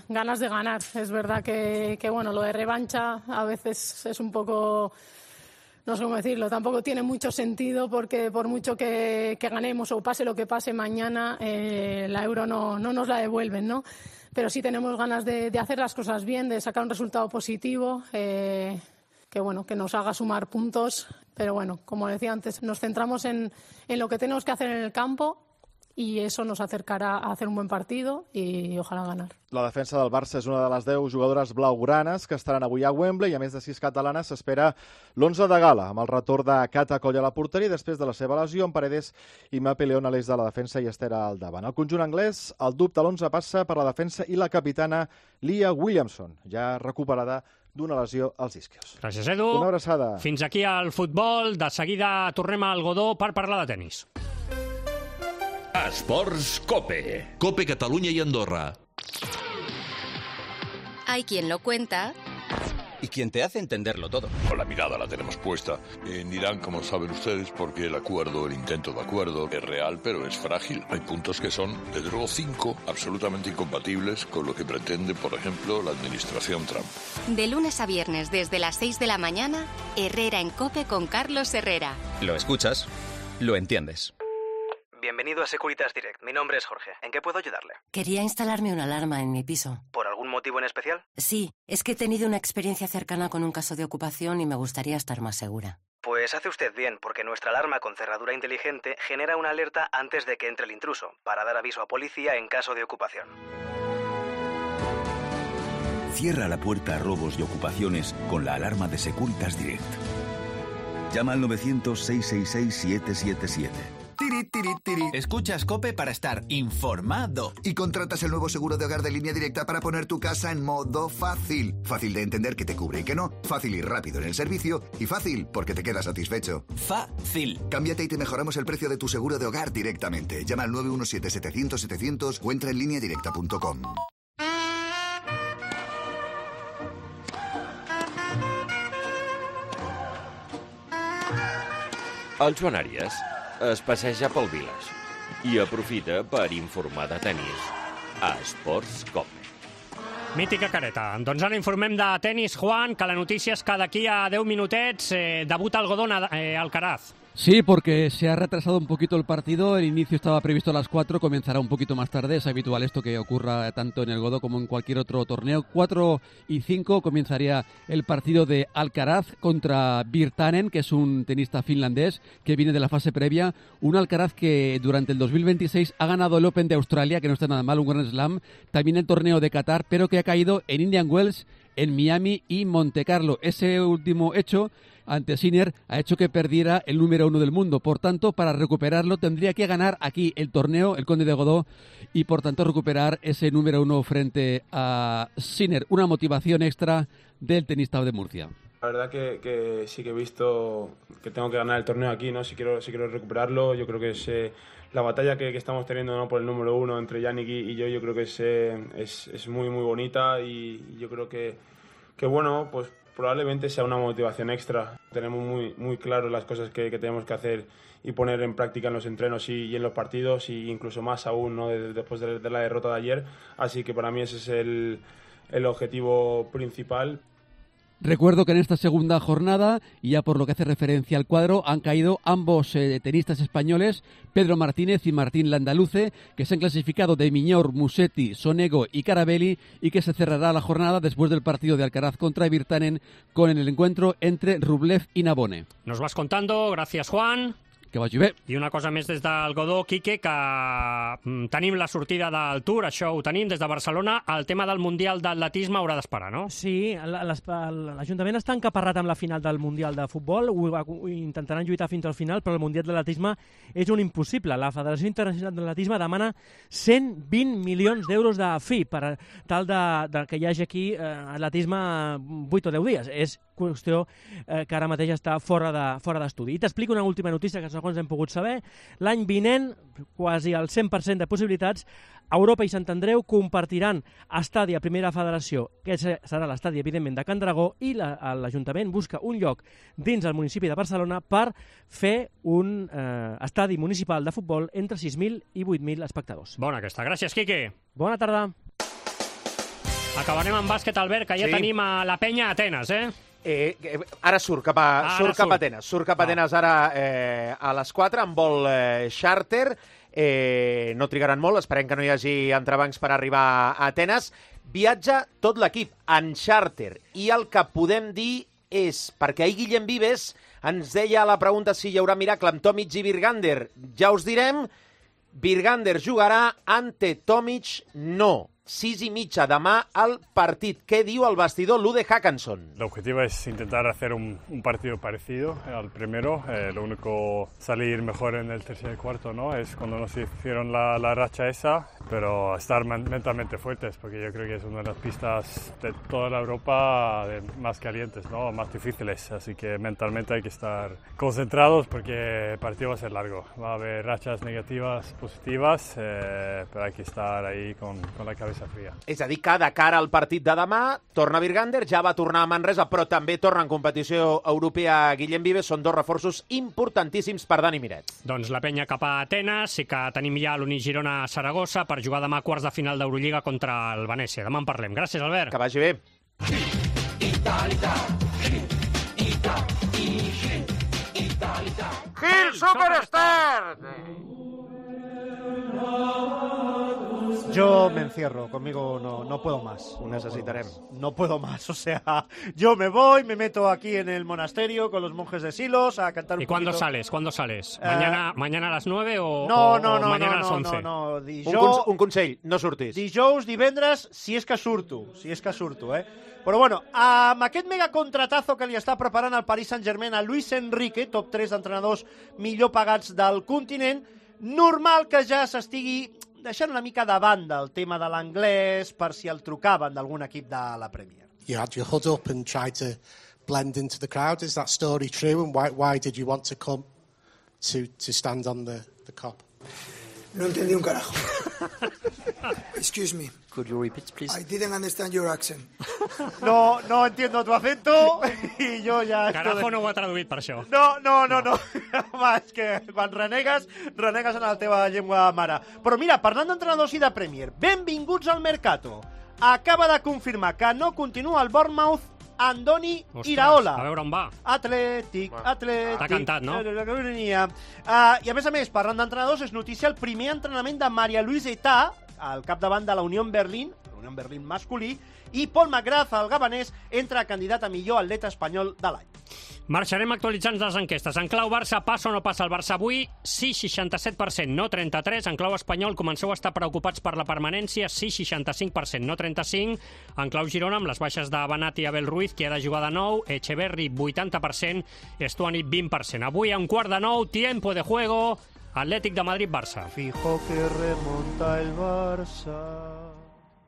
ganas de ganar. Es verdad que bueno, lo de revancha a veces es un poco, no sé cómo decirlo, tampoco tiene mucho sentido, porque por mucho que ganemos o pase lo que pase mañana, la Euro no nos la devuelven, ¿no? Pero sí tenemos ganas de hacer las cosas bien, de sacar un resultado positivo, que bueno, que nos haga sumar puntos. Pero bueno, como decía antes, nos centramos en lo que tenemos que hacer en el campo, i eso nos acercará a hacer un buen partido y ojalá ganar. La defensa del Barça és una de les 10 jugadores blaugranes que estaran avui a Wembley, i a més de 6 catalanes s'espera l'11 de gala, amb el retorn de Cata Coll a la porteria, després de la seva lesió, amb Paredes i Mape León a l'eix de la defensa i Esther al davant. El conjunt anglès, el dubte a l'11 passa per la defensa i la capitana Leah Williamson, ja recuperada d'una lesió als isquios. Gràcies, Edu. Una abraçada. Fins aquí al futbol. De seguida tornem al Godó per parlar de tenis. Esports Cope. Cope Catalunya y Andorra. Hay quien lo cuenta. Y quien te hace entenderlo todo. La mirada la tenemos puesta en Irán, como saben ustedes, porque el acuerdo, el intento de acuerdo, es real, pero es frágil. Hay puntos que son, desde luego, 5 absolutamente incompatibles con lo que pretende, por ejemplo, la administración Trump. De lunes a viernes, desde las 6 de la mañana, Herrera en COPE con Carlos Herrera. Lo escuchas, lo entiendes. Bienvenido a Securitas Direct. Mi nombre es Jorge. ¿En qué puedo ayudarle? Quería instalarme una alarma en mi piso. ¿Por algún motivo en especial? Sí, es que he tenido una experiencia cercana con un caso de ocupación y me gustaría estar más segura. Pues hace usted bien, porque nuestra alarma con cerradura inteligente genera una alerta antes de que entre el intruso, para dar aviso a policía en caso de ocupación. Cierra la puerta a robos y ocupaciones con la alarma de Securitas Direct. Llama al 900-666-777. Escuchas COPE para estar informado. Y contratas el nuevo seguro de hogar de Línea Directa para poner tu casa en modo fácil. Fácil de entender que te cubre y que no. Fácil y rápido en el servicio. Y fácil porque te quedas satisfecho. Fácil. Cámbiate y te mejoramos el precio de tu seguro de hogar directamente. Llama al 917-700-700 o entra en lineadirecta.com. El Joan Àries es passeja pel Viles i aprofita per informar de tenis a Esports Cope. Mítica careta. Doncs ara informem de tenis, Juan, que la notícia és que d'aquí a 10 minutets debuta el Godó Alcaraz. Sí, porque se ha retrasado un poquito el partido. El inicio estaba previsto a las 4, comenzará un poquito más tarde. Es habitual esto que ocurra tanto en el Godó como en cualquier otro torneo. 4:05 comenzaría el partido de Alcaraz contra Virtanen, que es un tenista finlandés que viene de la fase previa. Un Alcaraz que durante el 2026 ha ganado el Open de Australia, que no está nada mal, un Grand Slam. También el torneo de Qatar, pero que ha caído en Indian Wells, en Miami y Monte Carlo. Ese último hecho ante Sinner ha hecho que perdiera el número 1 del mundo. Por tanto, para recuperarlo tendría que ganar aquí el torneo, el Conde de Godó, y por tanto recuperar ese número 1 frente a Sinner. Una motivación extra del tenista de Murcia. La verdad que sí que he visto que tengo que ganar el torneo aquí, ¿no? Si quiero recuperarlo, yo creo que es la batalla que estamos teniendo, ¿no? Por el número 1 entre Yannick y yo creo que es muy muy bonita, y yo creo que bueno, pues probablemente sea una motivación extra. Tenemos muy claro las cosas que tenemos que hacer y poner en práctica en los entrenos y en los partidos, y incluso más aún, ¿no? Después de la derrota de ayer. Así que para mí ese es el objetivo principal. Recuerdo que en esta segunda jornada, y ya por lo que hace referencia al cuadro, han caído ambos tenistas españoles, Pedro Martínez y Martín Landaluce, que se han clasificado de Miñor, Musetti, Sonego y Carabelli, y que se cerrará la jornada después del partido de Alcaraz contra Virtanen con el encuentro entre Rublev y Nabone. Nos vas contando, gracias Juan. Que vagi bé. I una cosa més des del Godó, Quique, que tenim la sortida del Tour, això ho tenim des de Barcelona. El tema del Mundial d'Atletisme haurà d'esperar, no? Sí, l'Ajuntament està encaparrat amb la final del Mundial de Futbol, ho intentaran lluitar fins al final, però el Mundial d'Atletisme és un impossible. La Federació Internacional d'Atletisme demana 120 milions d'euros de fi per tal de que hi hagi aquí atletisme 8 o 10 dies. És qüestió que ara mateix està fora d'estudi. I t'explico una última notícia que segons hem pogut saber. L'any vinent, quasi el 100% de possibilitats, Europa i Sant Andreu compartiran estadi a Primera Federació, que serà l'estadi, evidentment, de Can Dragó, i l'Ajuntament busca un lloc dins el municipi de Barcelona per fer un estadi municipal de futbol entre 6.000 i 8.000 espectadors. Bona aquesta. Gràcies, Quique. Bona tarda. Acabarem amb bàsquet, Albert, que ja tenim a la penya a Atenes, Ara surt cap a Atenes. Surt cap a Atenes ara a les 4 amb vol xàrter. No trigaran molt, esperem que no hi hagi entrebancs per arribar a Atenes. Viatja tot l'equip en xàrter, i el que podem dir és, perquè ahir Guillem Vives ens deia a la pregunta si hi haurà miracle amb Tomic i Virgander, ja us direm, Virgander jugarà, ante Tomic no. 6:30 demà al partit. ¿Qué diu el vestidor Lude Hackanson? El objetivo es intentar hacer un partido parecido al primero. Lo único, salir mejor en el tercer y cuarto, ¿no? Es cuando nos hicieron la racha esa, pero estar mentalmente fuertes, porque yo creo que es una de las pistas de toda la Europa más calientes, ¿no? Más difíciles. Así que mentalmente hay que estar concentrados porque el partido va a ser largo. Va a haber rachas negativas, positivas, pero hay que estar ahí con la cabeza fria. És a dir, que de cara al partit de demà torna Virgander, ja va tornar a Manresa, però també torna en competició europea Guillem Vives. Són dos reforços importantíssims per Dani Miret. Doncs la penya cap a Atenes, sí que tenim ja l'Unigirona Saragossa per jugar demà quarts de final d'Eurolliga contra el Venècia. Demà en parlem. Gràcies, Albert. Que vagi bé. Gil Superstar! Yo me encierro, conmigo no puedo más. No puedo más, o sea, yo me voy, me meto aquí en el monasterio con los monjes de Silos a cantar un poquito. ¿Y cuándo sales? ¿Mañana a las 9 o mañana a las 11? No. Un consell, no surtis. Dijous, divendres, si és que surto, Però bueno, amb aquest mega contratazo que li està preparant el Paris Saint-Germain a Luis Enrique, top 3 d'entrenadors millor pagats del continent, normal que ja s'estigui deixant una mica de banda el tema de l'anglès per si el trucaven d'algun equip de la Premier. You had your hood up and tried to blend into the crowd. Is that story true? And why did you want to come to stand on the Kop? No entendí un carajo. Excuse me. Could you repeat, please? I didn't understand your accent. No entiendo tu acento i jo ja... Carajo no ho ha traduït per això. No. Home, és que quan renegues en la teva llengua mare. Però mira, parlant d'entrenadors i de Premier, benvinguts al Mercato. Acaba de confirmar que no continua el Bournemouth Andoni Ostres, Iraola. a veure on va. Atlètic. T'ha cantat, no? I a més, parlant d'entrenadors, és notícia el primer entrenament de Maria Luisa Età, al capdavant de la Unión Berlín masculí, i Paul McGrath, el gabanès, entra candidat a millor atleta espanyol de l'any. Marxarem actualitzant les enquestes. En clau Barça, passa o no passa el Barça avui? Sí, 67%, no 33%. En clau espanyol, comenceu a estar preocupats per la permanència? Sí, 65%, no 35%. En clau Girona, amb les baixes de Benat i Abel Ruiz, que ha de jugar de nou, Echeverri, 80%, Estuani, 20%. Avui, a 8:45, tiempo de juego, Atlètic de Madrid-Barça. Fijo que remonta el Barça.